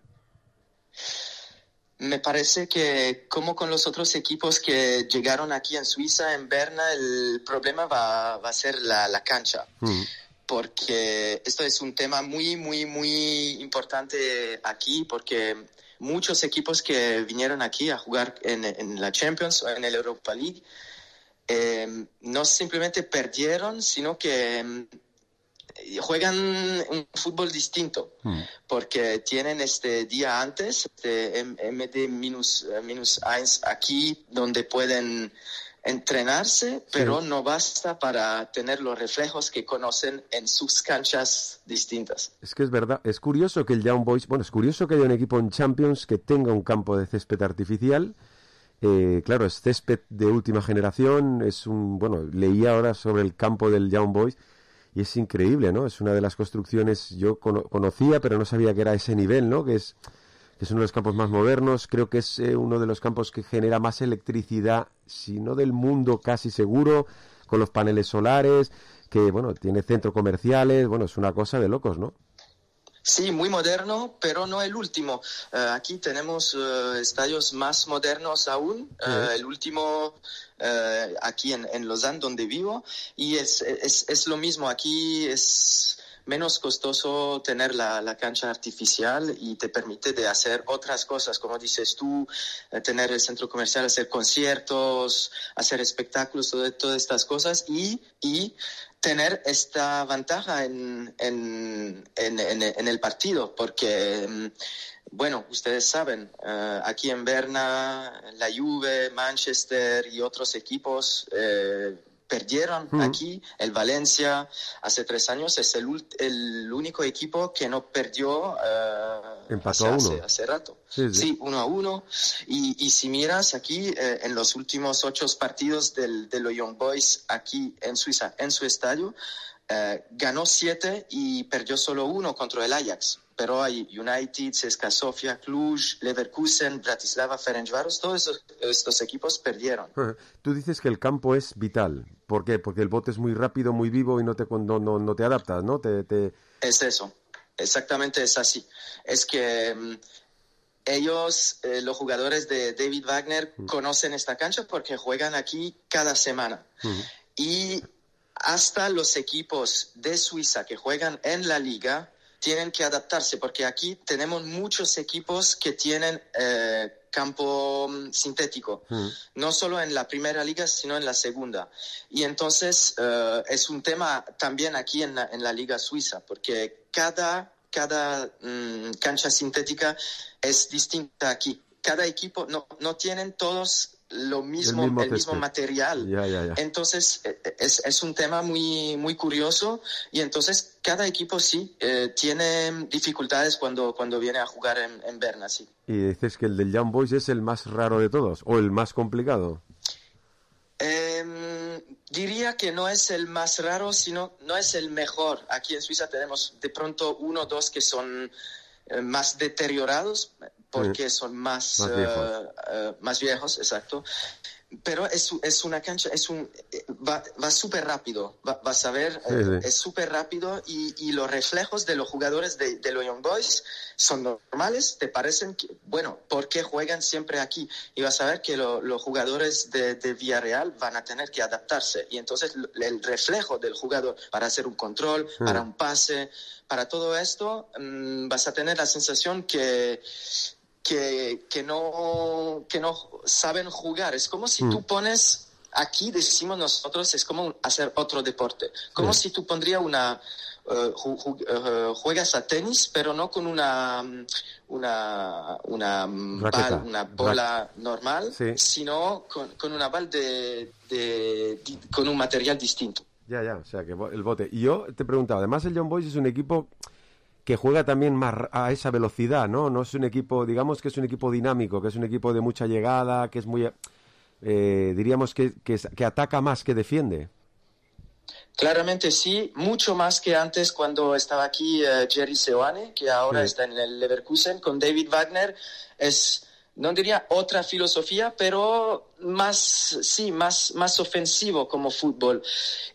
Me parece que, como con los otros equipos que llegaron aquí en Suiza, en Berna, el problema va, va a ser la, la cancha. Mm. Porque esto es un tema muy, muy, muy importante aquí, porque muchos equipos que vinieron aquí a jugar en, en la Champions o en el Europa League eh, no simplemente perdieron, sino que eh, juegan un fútbol distinto, mm. porque tienen este día antes, este M D minus uno aquí, donde pueden entrenarse, pero sí. No basta para tener los reflejos que conocen en sus canchas distintas. Es que es verdad, es curioso que el Young Boys, bueno, es curioso que haya un equipo en Champions que tenga un campo de césped artificial. Eh, claro, es césped de última generación, es un, bueno, leí ahora sobre el campo del Young Boys y es increíble, ¿no? Es una de las construcciones, yo cono- conocía, pero no sabía que era ese nivel, ¿no? Que es... es uno de los campos más modernos, creo que es eh, uno de los campos que genera más electricidad, si no del mundo casi seguro, con los paneles solares, que bueno, tiene centros comerciales, bueno, es una cosa de locos, ¿no? Sí, muy moderno, pero no el último. Uh, aquí tenemos uh, estadios más modernos aún. Uh, el último uh, aquí en, en Lausanne, donde vivo, y es, es, es lo mismo. Aquí es menos costoso tener la, la cancha artificial y te permite de hacer otras cosas, como dices tú, eh, tener el centro comercial, hacer conciertos, hacer espectáculos, todo, todas estas cosas y, y tener esta ventaja en, en, en, en, en el partido, porque, bueno, ustedes saben, uh, aquí en Berna, la Juve, Manchester y otros equipos eh, perdieron uh-huh. aquí, el Valencia, hace tres años, es el, el único equipo que no perdió uh, Empató hace, a uno. Hace, hace rato. Sí, sí. sí, uno a uno. Y, y si miras aquí, eh, en los últimos ocho partidos del, de los Young Boys aquí en Suiza, en su estadio, eh, ganó siete y perdió solo uno contra el Ajax. Pero hay United, C S K A Sofia, Cluj, Leverkusen, Bratislava, Ferencváros, todos estos, estos equipos perdieron. Tú dices que el campo es vital. ¿Por qué? Porque el bote es muy rápido, muy vivo y no te, no, no, no te adaptas, ¿no? Te, te... Es eso, exactamente es así. Es que um, ellos, eh, los jugadores de David Wagner, uh-huh. conocen esta cancha porque juegan aquí cada semana. Uh-huh. Y hasta los equipos de Suiza que juegan en la liga tienen que adaptarse, porque aquí tenemos muchos equipos que tienen eh, campo sintético, mm. no solo en la primera liga, sino en la segunda. Y entonces eh, es un tema también aquí en la, en la liga suiza, porque cada, cada mm, cancha sintética es distinta aquí. Cada equipo, no, no tienen todos lo mismo, el mismo, el mismo material. Ya, ya, ya. Entonces es, es un tema muy, muy curioso, y entonces cada equipo sí eh, tiene dificultades cuando, cuando viene a jugar en, en Berna, sí. Y dices que el del Young Boys es el más raro de todos, o el más complicado. Eh, diría que no es el más raro, sino no es el mejor. Aquí en Suiza tenemos de pronto uno o dos que son eh, más deteriorados, porque son más, más, viejos. Uh, uh, más viejos, exacto. pero es, es una cancha, es un va, va súper rápido, va, vas a ver, Sí, eh, sí. es súper rápido y, y los reflejos de los jugadores de, de los Young Boys son normales, te parecen, que, bueno, ¿por qué juegan siempre aquí? Y vas a ver que lo, los jugadores de, de Villarreal van a tener que adaptarse y entonces el reflejo del jugador para hacer un control, Mm. para un pase, para todo esto, mmm, vas a tener la sensación que Que, que no que no saben jugar. Es como si Mm. tú pones, aquí decimos nosotros, es como hacer otro deporte. Como Sí. si tú pondrías una, uh, ju- ju- uh, juegas a tenis, pero no con una una una, Raqueta. bal- una bola Ra- normal, Sí. sino con, con una bal de, de, di- con un material distinto. Ya, ya, o sea, que bo- el bote. Y yo te preguntaba, además el Young Boys es un equipo que juega también más r- a esa velocidad, ¿no? No es un equipo, digamos que es un equipo dinámico, que es un equipo de mucha llegada, que es muy, eh, diríamos que, que, es- que ataca más que defiende. Claramente sí, mucho más que antes cuando estaba aquí eh, Jerry Seoane, que ahora Sí. está en el Leverkusen con David Wagner. Es, no diría otra filosofía, pero más, sí, más, más ofensivo como fútbol.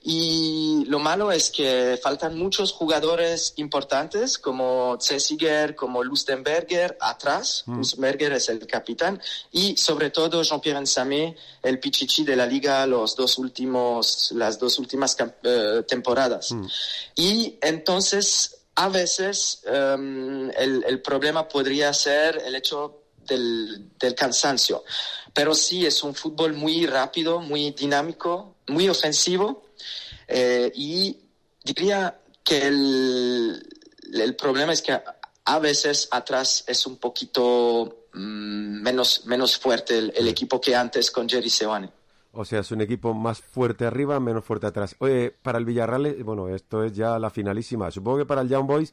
Y lo malo es que faltan muchos jugadores importantes como Zessiger, como Lustenberger atrás. Mm. Lustenberger es el capitán. Y sobre todo Jean-Pierre Nsamé, el pichichi de la liga los dos últimos, las dos últimas camp- eh, temporadas. Mm. Y entonces, a veces, um, el, el problema podría ser el hecho del, del cansancio. Pero sí, es un fútbol muy rápido, muy dinámico, muy ofensivo. Eh, y diría que el, el problema es que a, a veces atrás es un poquito mm, menos, menos fuerte el, el equipo que antes con Jerry Seoane. O sea, es un equipo más fuerte arriba, menos fuerte atrás. Oye, para el Villarreal, eh, bueno, esto es ya la finalísima. Supongo que para el Young Boys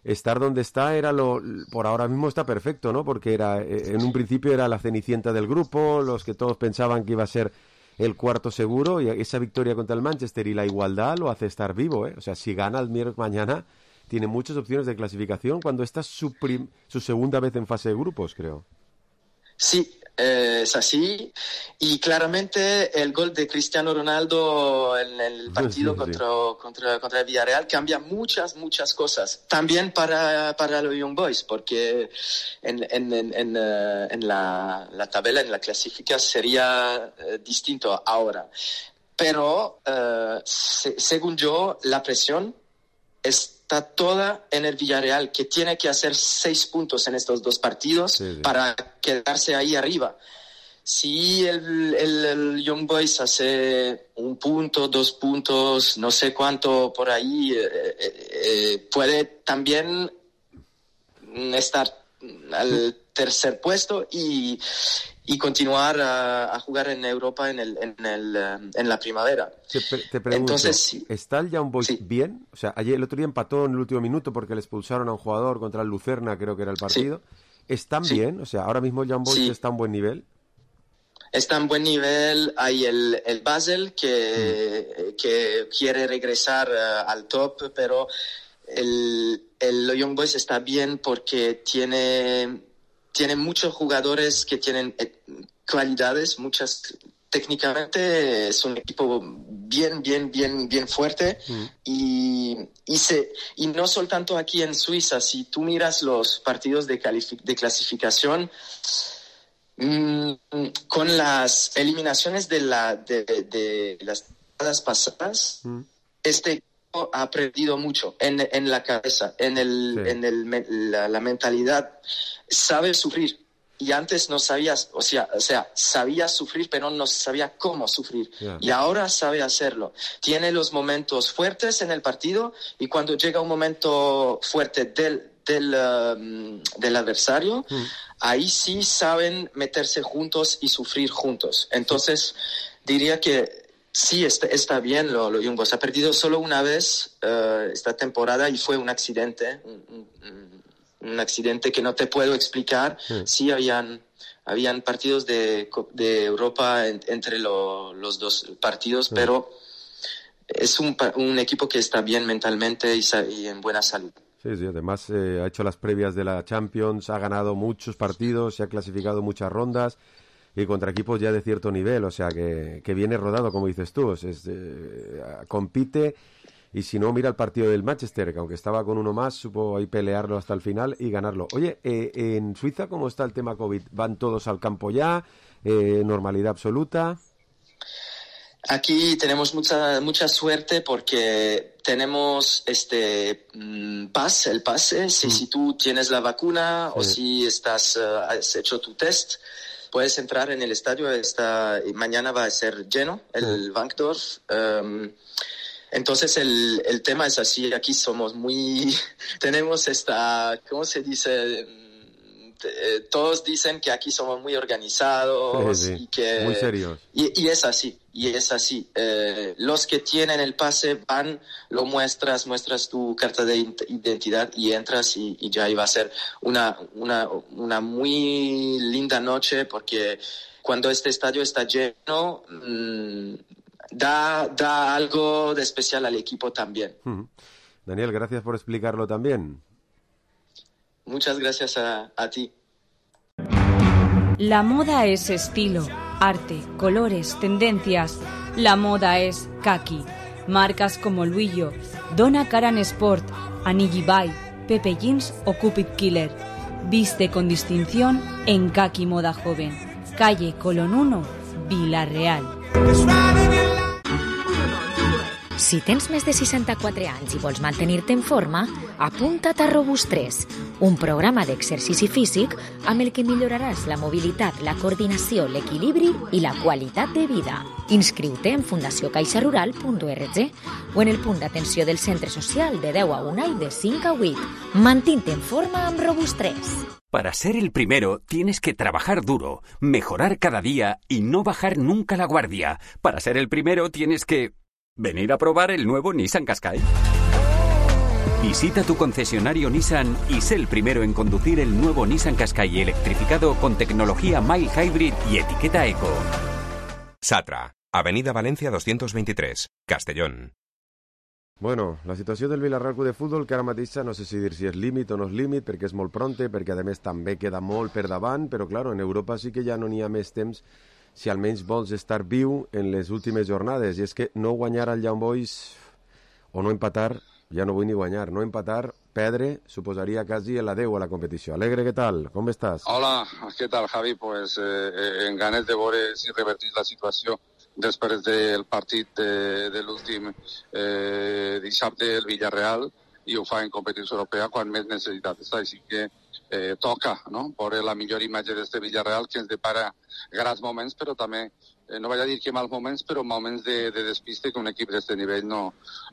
estar donde está era lo, por ahora mismo está perfecto, ¿no? Porque era, eh, en un principio era la cenicienta del grupo, los que todos pensaban que iba a ser el cuarto seguro, y esa victoria contra el Manchester y la igualdad lo hace estar vivo, ¿eh? O sea, si gana el miércoles mañana, tiene muchas opciones de clasificación cuando esta es su, prim- su segunda vez en fase de grupos, creo. Sí, eh, es así. Y claramente el gol de Cristiano Ronaldo en el partido Sí, sí, sí. contra, contra, contra el Villarreal cambia muchas, muchas cosas. También para, para los Young Boys, porque en, en, en, en, eh, en la, la tabla, en la clasificación sería eh, distinto ahora. Pero, eh, se- según yo, la presión está toda en el Villarreal, que tiene que hacer seis puntos en estos dos partidos Sí, sí. para quedarse ahí arriba. Si el, el, el Young Boys hace un punto, dos puntos, no sé cuánto por ahí, eh, eh, eh, puede también mm, estar al tercer puesto y, y continuar a, a jugar en Europa en, el, en, el, eh, en la primavera. Te, pre- te pregunto, Entonces, sí. ¿está el Young Boys bien? O sea, ayer el otro día empató en el último minuto porque le expulsaron a un jugador contra el Lucerna, creo que era el partido. ¿Están Sí. bien? O sea, ahora mismo el Young Boys Sí. está a un buen nivel. Está en buen nivel, hay el, el Basel que, que quiere regresar eh, al top, pero el, el Young Boys está bien porque tiene, tiene muchos jugadores que tienen eh, cualidades, muchas. Técnicamente es un equipo bien, bien, bien, bien fuerte y, y, se, y no solo tanto aquí en Suiza. Si tú miras los partidos de, califi- de clasificación, mm, con las eliminaciones de, la, de, de las temporadas pasadas, este equipo ha aprendido mucho en, en la cabeza, en, el, Sí. en el, me- la, la mentalidad. Sabe sufrir. Y antes no sabías, o sea, o sea, sabía sufrir, pero no sabía cómo sufrir. Ya. Y ahora sabe hacerlo. Tiene los momentos fuertes en el partido y cuando llega un momento fuerte del, del, um, del adversario, ahí sí saben meterse juntos y sufrir juntos. Entonces, diría que sí, está, está bien lo, lo Young Boys. Ha perdido solo una vez eh, esta temporada y fue un accidente, un, un- un accidente que no te puedo explicar. Sí. Sí, habían, habían partidos de, co- de Europa en- entre lo- los dos partidos, pero es un, pa- un equipo que está bien mentalmente y, sa- y en buena salud. Sí, sí, además eh, ha hecho las previas de la Champions, ha ganado muchos partidos, se ha clasificado muchas rondas. y contra equipos ya de cierto nivel, o sea que, que viene rodado, como dices tú, es, es, eh, compite, y si no, mira el partido del Manchester, que aunque estaba con uno más, supo ahí pelearlo hasta el final y ganarlo. Oye, eh, en Suiza, ¿cómo está el tema COVID? ¿Van todos al campo ya? Eh, ¿Normalidad absoluta? Aquí tenemos mucha mucha suerte porque tenemos este mm, pas, el pase, si, mm. si tú tienes la vacuna sí. o si estás uh, has hecho tu test, puedes entrar en el estadio. Esta, mañana va a ser lleno el mm. Wankdorf. Um, entonces el, el tema es así, aquí somos muy, tenemos esta, ¿cómo se dice? Eh, todos dicen que aquí somos muy organizados sí, sí. y que muy serios y, y es así y es así eh, los que tienen el pase van, lo muestras muestras tu carta de identidad y entras y, y ya iba a ser una una una muy linda noche porque cuando este estadio está lleno mmm, da da algo de especial al equipo también. hmm. Daniel, gracias por explicarlo también. Muchas gracias a, a ti. La moda es estilo, arte, colores, tendencias. La moda es kaki. Marcas como Luillo, Donna Karan Sport, Anigi Bay, Pepe Jeans o Cupid Killer. Viste con distinción en Kaki Moda Joven. Calle Colón uno, Vila-real. Si tens més de seixanta-quatre anys i vols mantenir-te en forma, apunta't a Robust tres, un programa d'exercici físic amb el que milloraràs la mobilitat, la coordinació, l'equilibri i la qualitat de vida. Inscriu-te en fundació caixa rural punt org o en el punt d'atenció del centre social de deu a una i de cinc a vuit. Mantén-te en forma amb Robust tres. Para ser el primero tienes que trabajar duro, mejorar cada día y no bajar nunca la guardia. Para ser el primero tienes que... venir a probar el nuevo Nissan Qashqai. Visita tu concesionario Nissan y sé el primero en conducir el nuevo Nissan Qashqai electrificado con tecnología mild hybrid y etiqueta eco. Satra, Avenida Valencia doscientos veintitrés, Castellón. Bueno, la situació del Villarreal Club de Futbol, que ara mateix no sé si dir si és límit o no és límit, perquè és molt pronte, perquè a més també queda molt per davant, però claro, en Europa sí que ja no n'hi ha més temps si almenys vols estar viu en les últimes jornades, i és que no guanyar al Young Boys o no empatar, ja no vull ni guanyar, no empatar, perdre, suposaria quasi l'adeu a la competició. Alegre, què tal? Com estàs? Hola, què tal, Javi? Pues eh, en ganes de veure si revertís la situació després del partit de, de l'últim eh, dissabte el Villarreal i ho fa en competició europea quan més necessitat està, així que eh, toca, no?, veure la millor imatge d'este Villarreal que ens depara grans moments, però també, eh, no vaig a dir que mals moments, però moments de, de despiste que un equip d'este nivell no,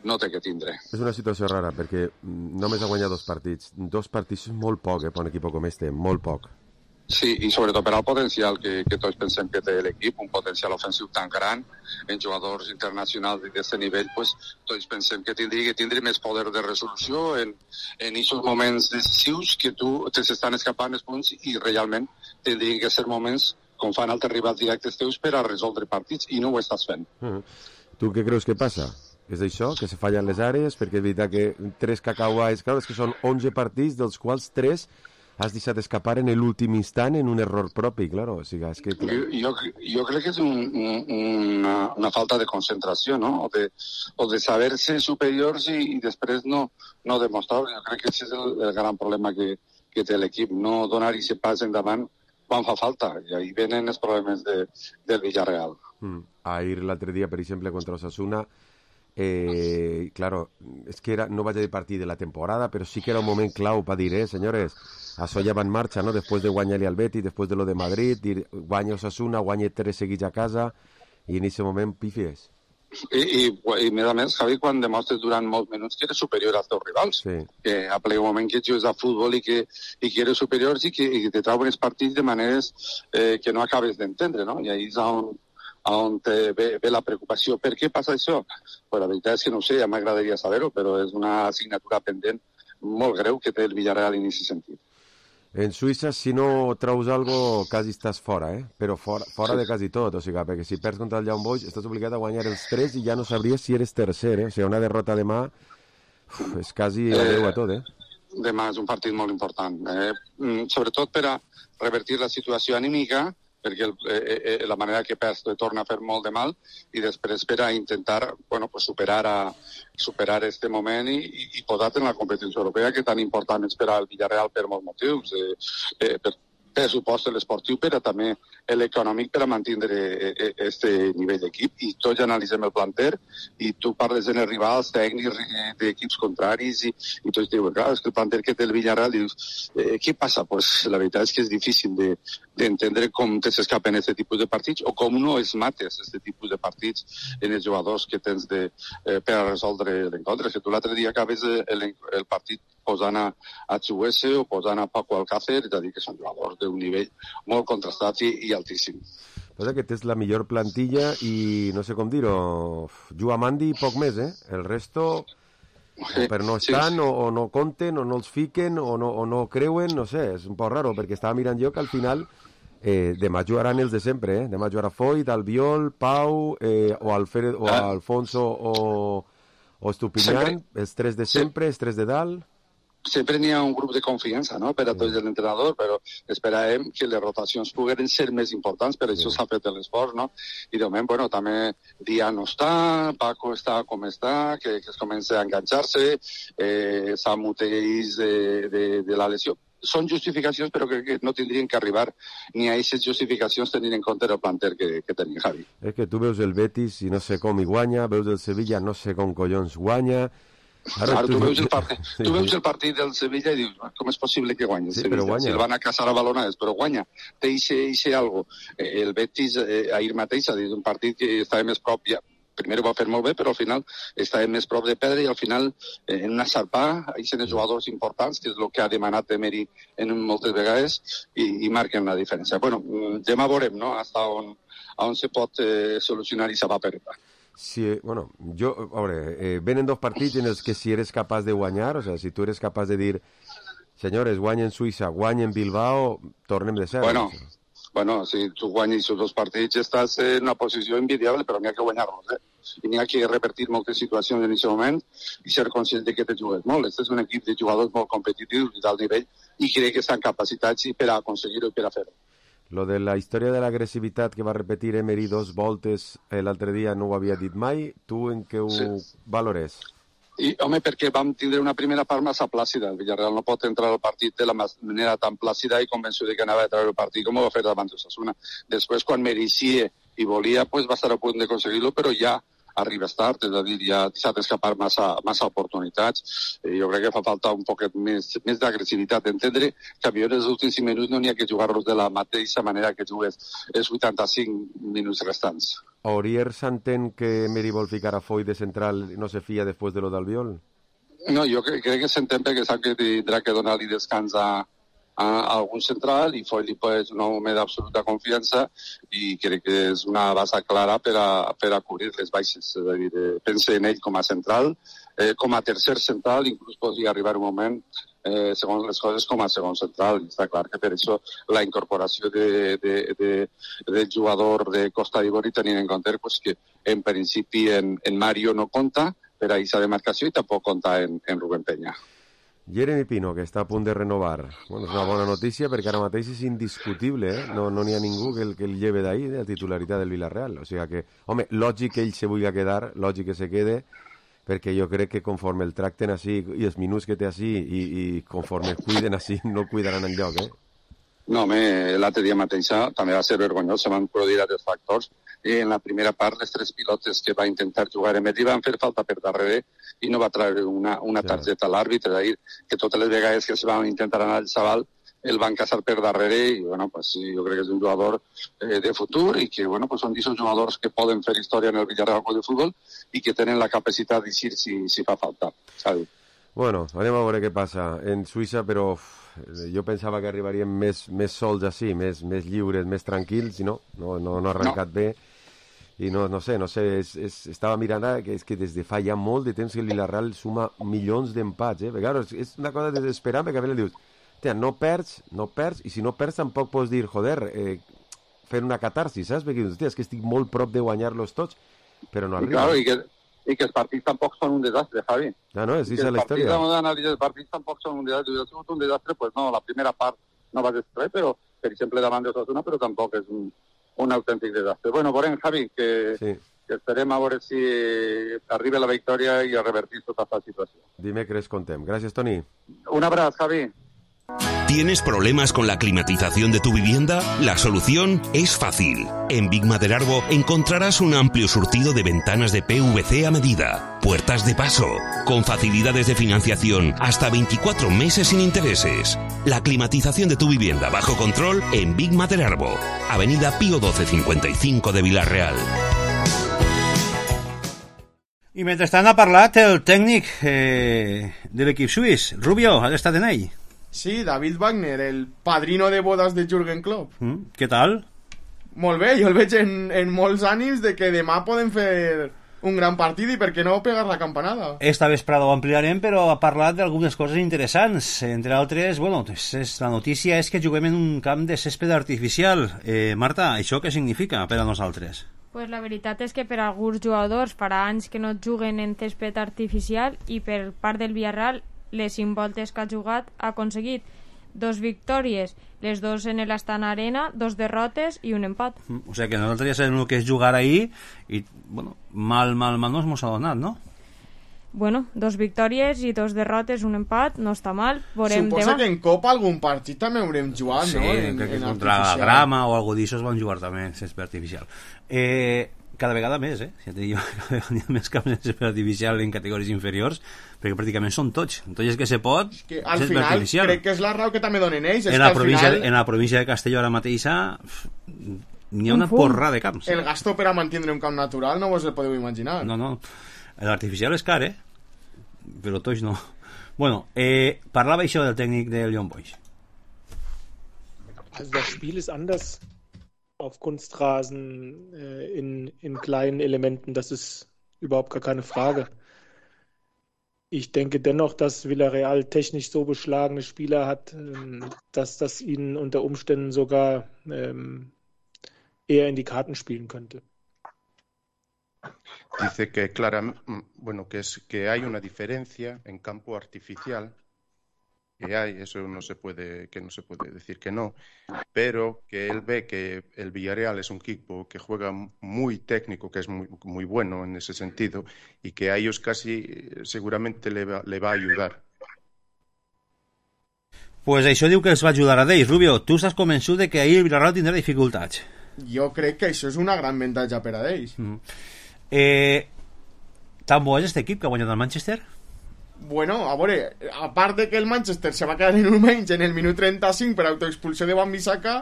no té que tindre. És una situació rara, perquè només ha guanyat dos partits. Dos partits és molt poc, eh, per un equip com este, molt poc. Sí, i sobretot per al potencial que, que tots pensem que té l'equip, un potencial ofensiu tan gran, en jugadors internacionals d'aquest nivell, pues, tots pensem que tindria que tindre més poder de resolució en en aquests moments decisius que tu te s'estan escapant els punts i realment tindrien que ser moments com fan altres rivals directes teus per a resoldre partits i no ho estàs fent. Uh-huh. Tu què creus que passa? És això, que se fallen les àrees? Perquè és veritat que tres cacauais, clar, és que són onze partits, dels quals tres has deixat escapar en l'últim instant en un error propi, claro. O sigui, és que... jo, jo, jo crec que és un, un, una, una falta de concentració, no? O de, o de saber-se superiors i, i després no, no demostrar. Jo crec que aquest és el, el gran problema que, que té l'equip, no donar aquest pas endavant quan fa falta, i ahí venen els problemes de, del Villarreal. Mm. Ahir l'altre dia, per exemple, contra Osasuna, eh, claro, és que era, no vaig a dir partit de la temporada, però sí que era un moment clau per dir, eh, senyores, això ja va en marxa, no?, després de guanyar-li al Betis, després de lo de Madrid, dir, guanya Osasuna, guanya tres seguits a casa, i en aquest moment pifies. I, i, i a més, Javi, quan demostres durant molts minuts que eres superior als teus rivals, sí. Que a ple moment que jugues a futbol i que, i que eres superior i que, i que te trauen els partits de maneres eh, que no acabes d'entendre, no? I ahí és on, on te ve, ve la preocupació. Per què passa això? Pues la veritat és que no sé, ja m'agradaria saber-ho, però és una assignatura pendent molt greu que té el Villarreal en aquest sentit. En Suïssa, si no treus algo, quasi estàs fora, eh? Però fora, fora sí. de quasi tot, o sigui, perquè si perds contra el Young Boys estàs obligat a guanyar els tres i ja no sabries si eres tercer, eh? O sigui, una derrota demà uf, és quasi eh, adeu a tot, eh? Demà és un partit molt important, eh? Sobretot per a revertir la situació anímica, perquè el, eh, eh, la manera que perds te torna a fer molt de mal, i després per a intentar bueno, pues superar, a, superar este moment i, i, i posar-te en la competició europea, que tan important és per al Villarreal per molts motius, eh, eh, per pressupost l'esportiu, però també l'econòmic per a mantenir este nivell d'equip. I tots analitzem el planter i tu parles en els rivals tècnics d'equips contraris i, i tots diuen, clar, és que el planter que té el Villarreal, dius, eh, què passa? Pues la veritat és que és difícil de, d'entendre com te s'escapen aquest tipus de partits o com no es mates aquest tipus de partits en els jugadors que tens de, eh, per a resoldre l'encontre. Si tu l'altre dia acabes el, el partit posant a, a Chuese o posant a Paco Alcácer, és a dir, que són jugadors d'un nivell molt contrastat i, i altíssim. Passa que tens la millor plantilla i, no sé com dir-ho, juga Mandi i poc més, eh? El resto, sí, però no estan, sí, sí. O, o no compten, o no els fiquen, o no, o no creuen, no sé, és un poc raro, perquè estava mirant jo que al final eh, demà jugaran els de sempre, eh? Demà jugarà Foyt, Albiol, Pau, eh, o, Alfred, o ah. Alfonso o, o Estupiñán, els tres de sempre, els tres de dalt. Sempre n'hi ha un grup de confiança, no?, per a tots l'entrenador, però esperàvem que les rotacions pogueren ser més importants, per això s'ha fet l'esforç, no? I de moment, bueno, també Dia no està, Paco està com està, que, que es comença a enganxar-se, eh, Samu Teix de, de, de la lesió. Són justificacions, però crec que no tindrien que arribar ni a aquestes justificacions tenint en compte el planter que, que tenia Javi. És que tu veus el Betis i no sé com hi guanya, veus el Sevilla no sé com collons guanya. Ara, Ara tu, tu, veus el partit, sí. tu veus el partit del Sevilla i dius, com és possible que guanyi el sí, Sevilla? Guanya. Si el van a caçar a balonades, però guanya. Té ixe algo. Eh, el Betis eh, ahir mateix ha dit un partit que estava més prop, ja, primer ho va fer molt bé, però al final estava més prop de perdre i al final eh, en una sarpà, hi són els jugadors importants, que és el que ha demanat Emery en moltes vegades, i, i marquen la diferència. Bueno, demà veurem, no?, fins on, on se pot eh, solucionar i se va perdre. Sí, bueno, yo, ahora, eh, venen dos partits en els que si eres capaç de guanyar, o sea, si tu eres capaç de dir, senyores, guanyen Suïssa, guanyen Bilbao, tornem de ser. Bueno, bueno, si tu guanyes els dos partits estàs en una posició envidiable, però n'hi ha que guanyar-los, eh? I n'hi ha que repetir moltes situacions en aquest moment i ser conscient de que te jugues molt. Este és un equip de jugadors molt competitius i d'alt nivell i crec que estan capacitats per a aconseguir-ho i per a fer-ho. Lo de la història de l'agressivitat que va repetir Emery dos voltes l'altre dia no ho havia dit mai. Tu en què ho sí. valores? I, home, perquè vam tindre una primera part massa plàcida. El Villarreal no pot entrar al partit de la manera tan plàcida i convençut de que anava a treure el partit com ho va fer davant d'Osasuna. Després, quan mereixia i volia, pues, va estar a punt d'aconseguir-lo, però ja arribes tard, és a dir, ja s'ha d'escapar massa, massa oportunitats. Eh, jo crec que fa falta un poquet més, més d'agressivitat, entendre que a millor els últims cinc minuts no n'hi ha que jugar-los de la mateixa manera que jugues els vuitanta-cinc minuts restants. Aurier s'entén que Emery vol ficar a Foyt de central i no se fia després de lo d'Albiol? No, jo crec, crec que s'entén perquè sap que tindrà que donar-li descans a a algun central i Foyt li és un home d'absoluta confiança i crec que és una base clara per a, per a cobrir les baixes. És a dir, eh, pense en ell com a central, eh, com a tercer central, inclús podria arribar un moment, eh, segons les coses, com a segon central. I està clar que per això la incorporació de, de, de, del jugador de Costa d'Ivori, tenint en compte pues, que en principi en, en Mario no compta per a aquesta demarcació i tampoc compta en, en Rubén Peña. Jeremy Pino, que està a punt de renovar. Bueno, és una bona notícia perquè ara mateix és indiscutible, eh? No n'hi ha ningú que el, que el lleve d'ahir, de la titularitat del Villarreal. O sigui que, home, lògic que ell se vulgui quedar, lògic que se quede, perquè jo crec que conforme el tracten així i els minuts que té així i, i conforme el cuiden així, no el cuidaran enlloc, eh? No, home, l'altre dia mateix també va ser vergonyós, se van produir altres factors. I en la primera part, les tres pilotes que va intentar jugar Emery van fer falta per darrere i no va treure una, una targeta a l'àrbitre, és a dir, que totes les vegades que es van intentar anar al xaval el van caçar per darrere i, bueno, pues, jo crec que és un jugador eh, de futur i que, bueno, pues, són d'aquests jugadors que poden fer història en el Villarreal de futbol i que tenen la capacitat d'eixir si, si fa falta, saps? Bueno, anem a veure què passa en Suïssa, però uf, jo pensava que arribaríem més, més sols així, més, més lliures, més tranquils, i no, no, no, no ha arrencat no. bé. I no, no sé, no sé, és, és, estava mirant ara que és que des de fa ja molt de temps que el Villarreal suma milions d'empats, eh? Perquè, clar, és, és una cosa desesperant, perquè a veure dius, tia, no perds, no perds, i si no perds tampoc pots dir, joder, eh, fer una catarsis, saps? Perquè dius, tia, és que estic molt prop de guanyar-los tots, però no arriba. I, claro, i, que, i que els partits tampoc són un desastre, Javi. Ah, no, és la història. Els partits, els partits tampoc són un desastre, si ha sigut un desastre, pues no, la primera part no va ser res, però per exemple, davant d'Osasuna, però tampoc és un, un autèntic desastre. Bueno, veurem, Javi, que, sí. que esperem a veure si arriba la victòria i a revertir tota aquesta situació. Dimecres contem. Gràcies, Toni. Un abraç, Javi. ¿Tienes problemas con la climatización de tu vivienda? La solución es fácil. En Big Maderarbo encontrarás un amplio surtido de ventanas de P V C a medida, puertas de paso, con facilidades de financiación hasta veinticuatro meses sin intereses. La climatización de tu vivienda bajo control en Big Maderarbo, Avenida Pío doce cincuenta y cinco de Vila-real. I mentrestant ha parlat el tècnic eh, de l'equip suís. Rubio, has estat en ell? Sí, David Wagner, el padrino de bodas de Jürgen Klopp. Mm, què tal? Molt bé, jo el veig en, en molts ànims de que demà podem fer un gran partit i per què no pegar la campanada. Esta vesprada ho ampliarem, però ha parlat d'algunes coses interessants. Entre altres, bueno, és, la notícia és que juguem en un camp de césped artificial. Eh, Marta, això què significa per a nosaltres? Pues la veritat és que per a alguns jugadors farà anys que no juguen en césped artificial i per part del Villarreal les cinc voltes que ha jugat ha aconseguit dos victòries, les dos en l'Astana Arena, dos derrotes i un empat. Mm, o sigui que nosaltres ja sabem el que és jugar ahí i, bueno, mal, mal, mal no ens ha donat, no? Bueno, dos victòries i dos derrotes, un empat, no està mal. Veurem Suposa demà. que en Copa algun partit també haurem jugat, sí, no? Sí, crec que contra la Grama o algo d'això es van jugar també en césped artificial. Eh... cada vegada més, eh? Ja te dic, cada vegada hi ha més camps de césped artificial en categories inferiors, perquè pràcticament són tots. Entonces, que se pot... Que al final artificial. Crec que és la raó que també donen ells. En, és la que província, final... en la província de Castelló ara mateixa n'hi ha una porra de camps. El gasto per a mantenir un camp natural no vos el podeu imaginar. No, no. L'artificial és car, eh? Però tots no. Bueno, eh, parlava això del tècnic del Young Boys. Also das Spiel ist anders auf Kunstrasen äh, in, in kleinen Elementen, das ist überhaupt gar keine Frage. Ich denke dennoch, dass Villarreal technisch so beschlagene Spieler hat, ähm, dass das ihnen unter Umständen sogar ähm, eher in die Karten spielen könnte. Dice que claramente, bueno, que es que hay una diferencia en campo artificial. Que hay, eso no se puede, que no se puede decir que no, pero que él ve que el Villarreal es un equipo que juega muy técnico, que es muy, muy bueno en ese sentido, y que a ellos casi seguramente le va, le va a ayudar. Pues això diu que els va ajudar a ells. Rubio, tu estàs convençut de que ahir el Villarreal tindrà dificultats? Jo crec que això és una gran avantatge per a ells. Mm. Eh, tan bo és aquest equip que ha guanyat el Manchester? Bueno, a veure, a part de que el Manchester se va quedar en un menys en el minut trenta-cinc per autoexpulsió de Wan-Bissaka,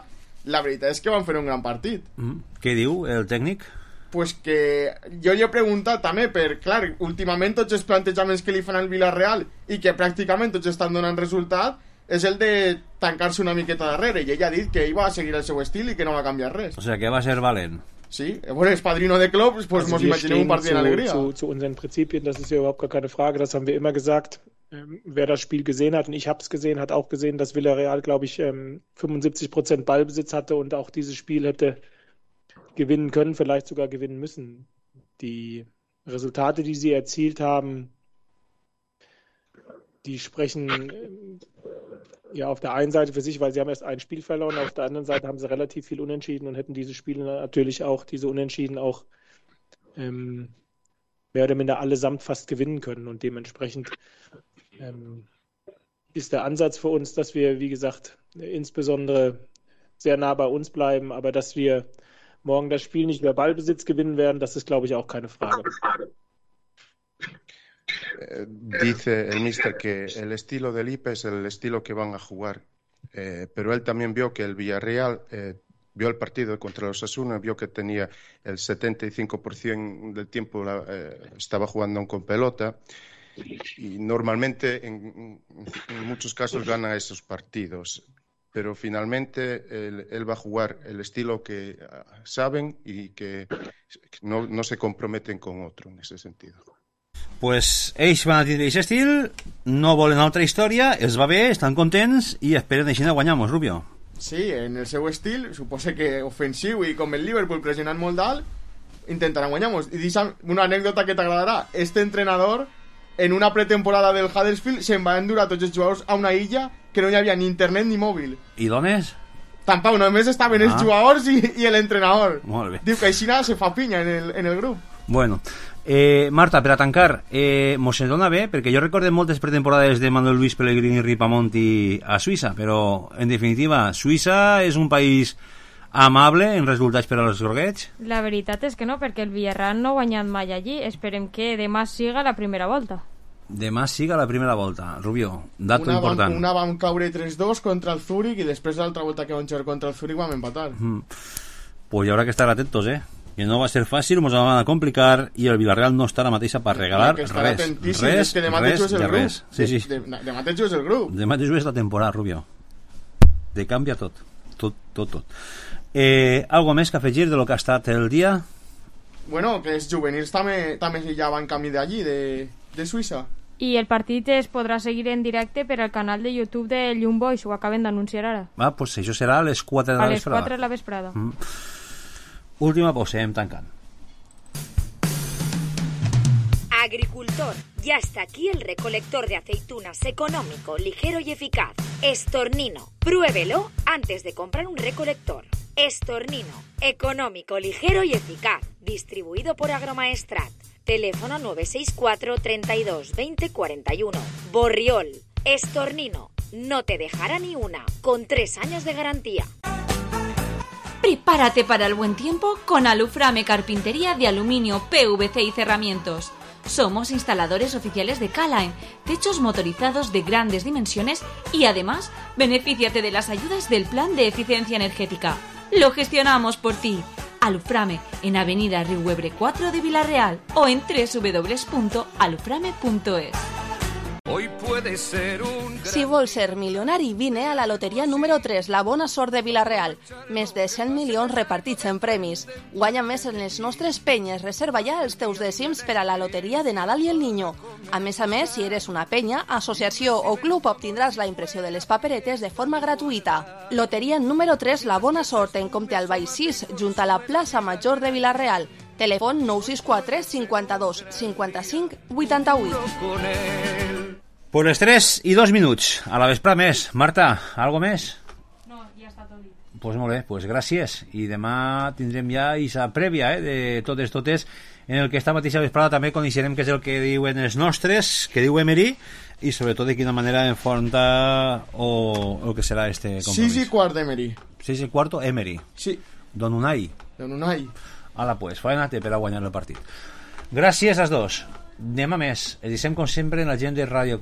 la veritat és que van fer un gran partit. Mm. Què diu el tècnic? Pues que jo li he preguntat també, per, clar, últimament tots els plantejaments que li fan al Villarreal i que pràcticament tots estan donant resultat és el de tancar-se una miqueta darrere, i ell ha dit que ell va seguir el seu estil i que no va canviar res. O sigui que va ser valent. Sí, bueno, es padrino de Klopp, pues also nos imaginemos un partido zu, de alegría. Zu, zu unseren Prinzipien, das ist ja überhaupt gar keine Frage, das haben wir immer gesagt. Ähm, wer das Spiel gesehen hat, und ich habe es gesehen, hat auch gesehen, dass Villarreal, glaube ich, ähm, fünfundsiebzig Prozent Ballbesitz hatte und auch dieses Spiel hätte gewinnen können, vielleicht sogar gewinnen müssen. Die Resultate, die sie erzielt haben, die sprechen ähm, ja auf der einen Seite für sich, weil sie haben erst ein Spiel verloren, auf der anderen Seite haben sie relativ viel Unentschieden und hätten diese Spiele natürlich auch, diese Unentschieden auch ähm, mehr oder minder allesamt fast gewinnen können, und dementsprechend ähm, ist der Ansatz für uns, dass wir, wie gesagt, insbesondere sehr nah bei uns bleiben, aber dass wir morgen das Spiel nicht über Ballbesitz gewinnen werden, das ist, glaube ich, auch keine Frage. Dice el míster que el estilo del I P E es el estilo que van a jugar, eh, pero él también vio que el Villarreal eh, vio el partido contra los Osasuna, vio que tenía el setenta y cinco por ciento del tiempo la, eh, estaba jugando con pelota, y normalmente en, en muchos casos gana esos partidos, pero finalmente él, él va a jugar el estilo que saben y que no, no se comprometen con otro en ese sentido. Pues ells van a tindre aquest estil, no volen altra història, els va bé, estan contents i esperen així de guanyar-nos, Rubio. Sí, en el seu estil, suposa que ofensiu i com el Liverpool pressionant molt dalt, intentaran guanyar-nos. I deixa'm una anècdota que t'agradarà. Este entrenador, en una pretemporada del Huddersfield, se'n va endur a tots els jugadors a una illa que no hi havia ni internet ni mòbil. I d'on és? Tampoc, només estaven ah. els jugadors i, i l'entrenador. Molt bé. Diu que així nada se fa pinya en el, en el grup. Bueno, eh, Marta, per a tancar, eh, mos se dona bé, perquè jo recordé moltes pretemporades de Manuel Luis Pellegrini i Ripamonti a Suïssa, però, en definitiva, Suïssa és un país amable en resultats per als groguets? La veritat és que no, perquè el Villarreal no ha guanyat mai allí. Esperem que demà siga la primera volta. Demà siga la primera volta. Rubió, dato una important. Vam, una vam caure tres dos contra el Zúrich i després l'altra volta que vam jugar contra el Zúrich vam empatar. Mm. Pues hi haurà que estar atentos, eh? Que no va ser fàcil, ens van a complicar i el Villarreal no està a la mateixa per regalar res. Res, que demà res, res, de res. Sí, sí. De, de, demà te jugues el grup. Demà te jugues la temporada, Rubió. Te canvia tot. Tot, tot, tot. Eh, algo més que afegir de lo que ha estat el dia? Bueno, que els juvenils també, també ja van camí d'allí, de, de Suïssa. I el partit es podrà seguir en directe per al canal de YouTube de Young Boys, ho acaben d'anunciar ara. Ah, pues això serà a les quatre de la vesprada. A les vesprada. quatre de la vesprada. Mm. Última pausa, hem tancant. Agricultor, ya está aquí el recolector de aceitunas económico, ligero y eficaz. Estornino, pruébelo antes de comprar un recolector. Estornino, económico, ligero y eficaz. Distribuido por Agromaestrat. Teléfono nueve seis cuatro, treinta y dos, veinte, cuarenta y uno. Borriol, Estornino, no te dejará ni una, con tres años de garantía. Prepárate para el buen tiempo con Aluframe Carpintería de Aluminio, P V C y Cerramientos. Somos instaladores oficiales de K-Line, techos motorizados de grandes dimensiones y además benefíciate de las ayudas del Plan de Eficiencia Energética. Lo gestionamos por ti. Aluframe, en Avenida Riuebre cuatro de Villarreal o en doble u doble u doble u punto aluframe punto es. Hoy puede ser un... Si vols ser milionari, vine a la loteria número tres, la bona sort de Villarreal. Més de cent milions repartits en premis. Guanya més en les nostres penyes. Reserva ja els teus dècims per a la loteria de Nadal i el Niño. A més a més, si eres una penya, associació o club, obtindràs la impressió de les paperetes de forma gratuïta. Loteria número tres, la bona sort, en compte al Baix sis, junt a la plaça Major de Villarreal. Telèfon nou sis quatre, cinquanta-dos, cinquanta-cinc, vuitanta-vuit. Pues les tres i dos minuts. A la vesprada més. Marta, algo més? No, ja està tot dit. Pues molt bé, pues gràcies. I demà tindrem ja aquesta prèvia eh, de totes, totes, en el que esta mateixa vesprada també coneixerem què és el que diuen els nostres, que diu Emery, i sobretot de quina manera enfronta o el que serà este compromís. sis i quart d'Emery. sis i quart Emery. Sí. Don Unai. Don Unai. Ala, pues, faena-te per a guanyar el partit. Gràcies als dos. Demà més. Edicem com sempre en la gent de Ràdio quatre.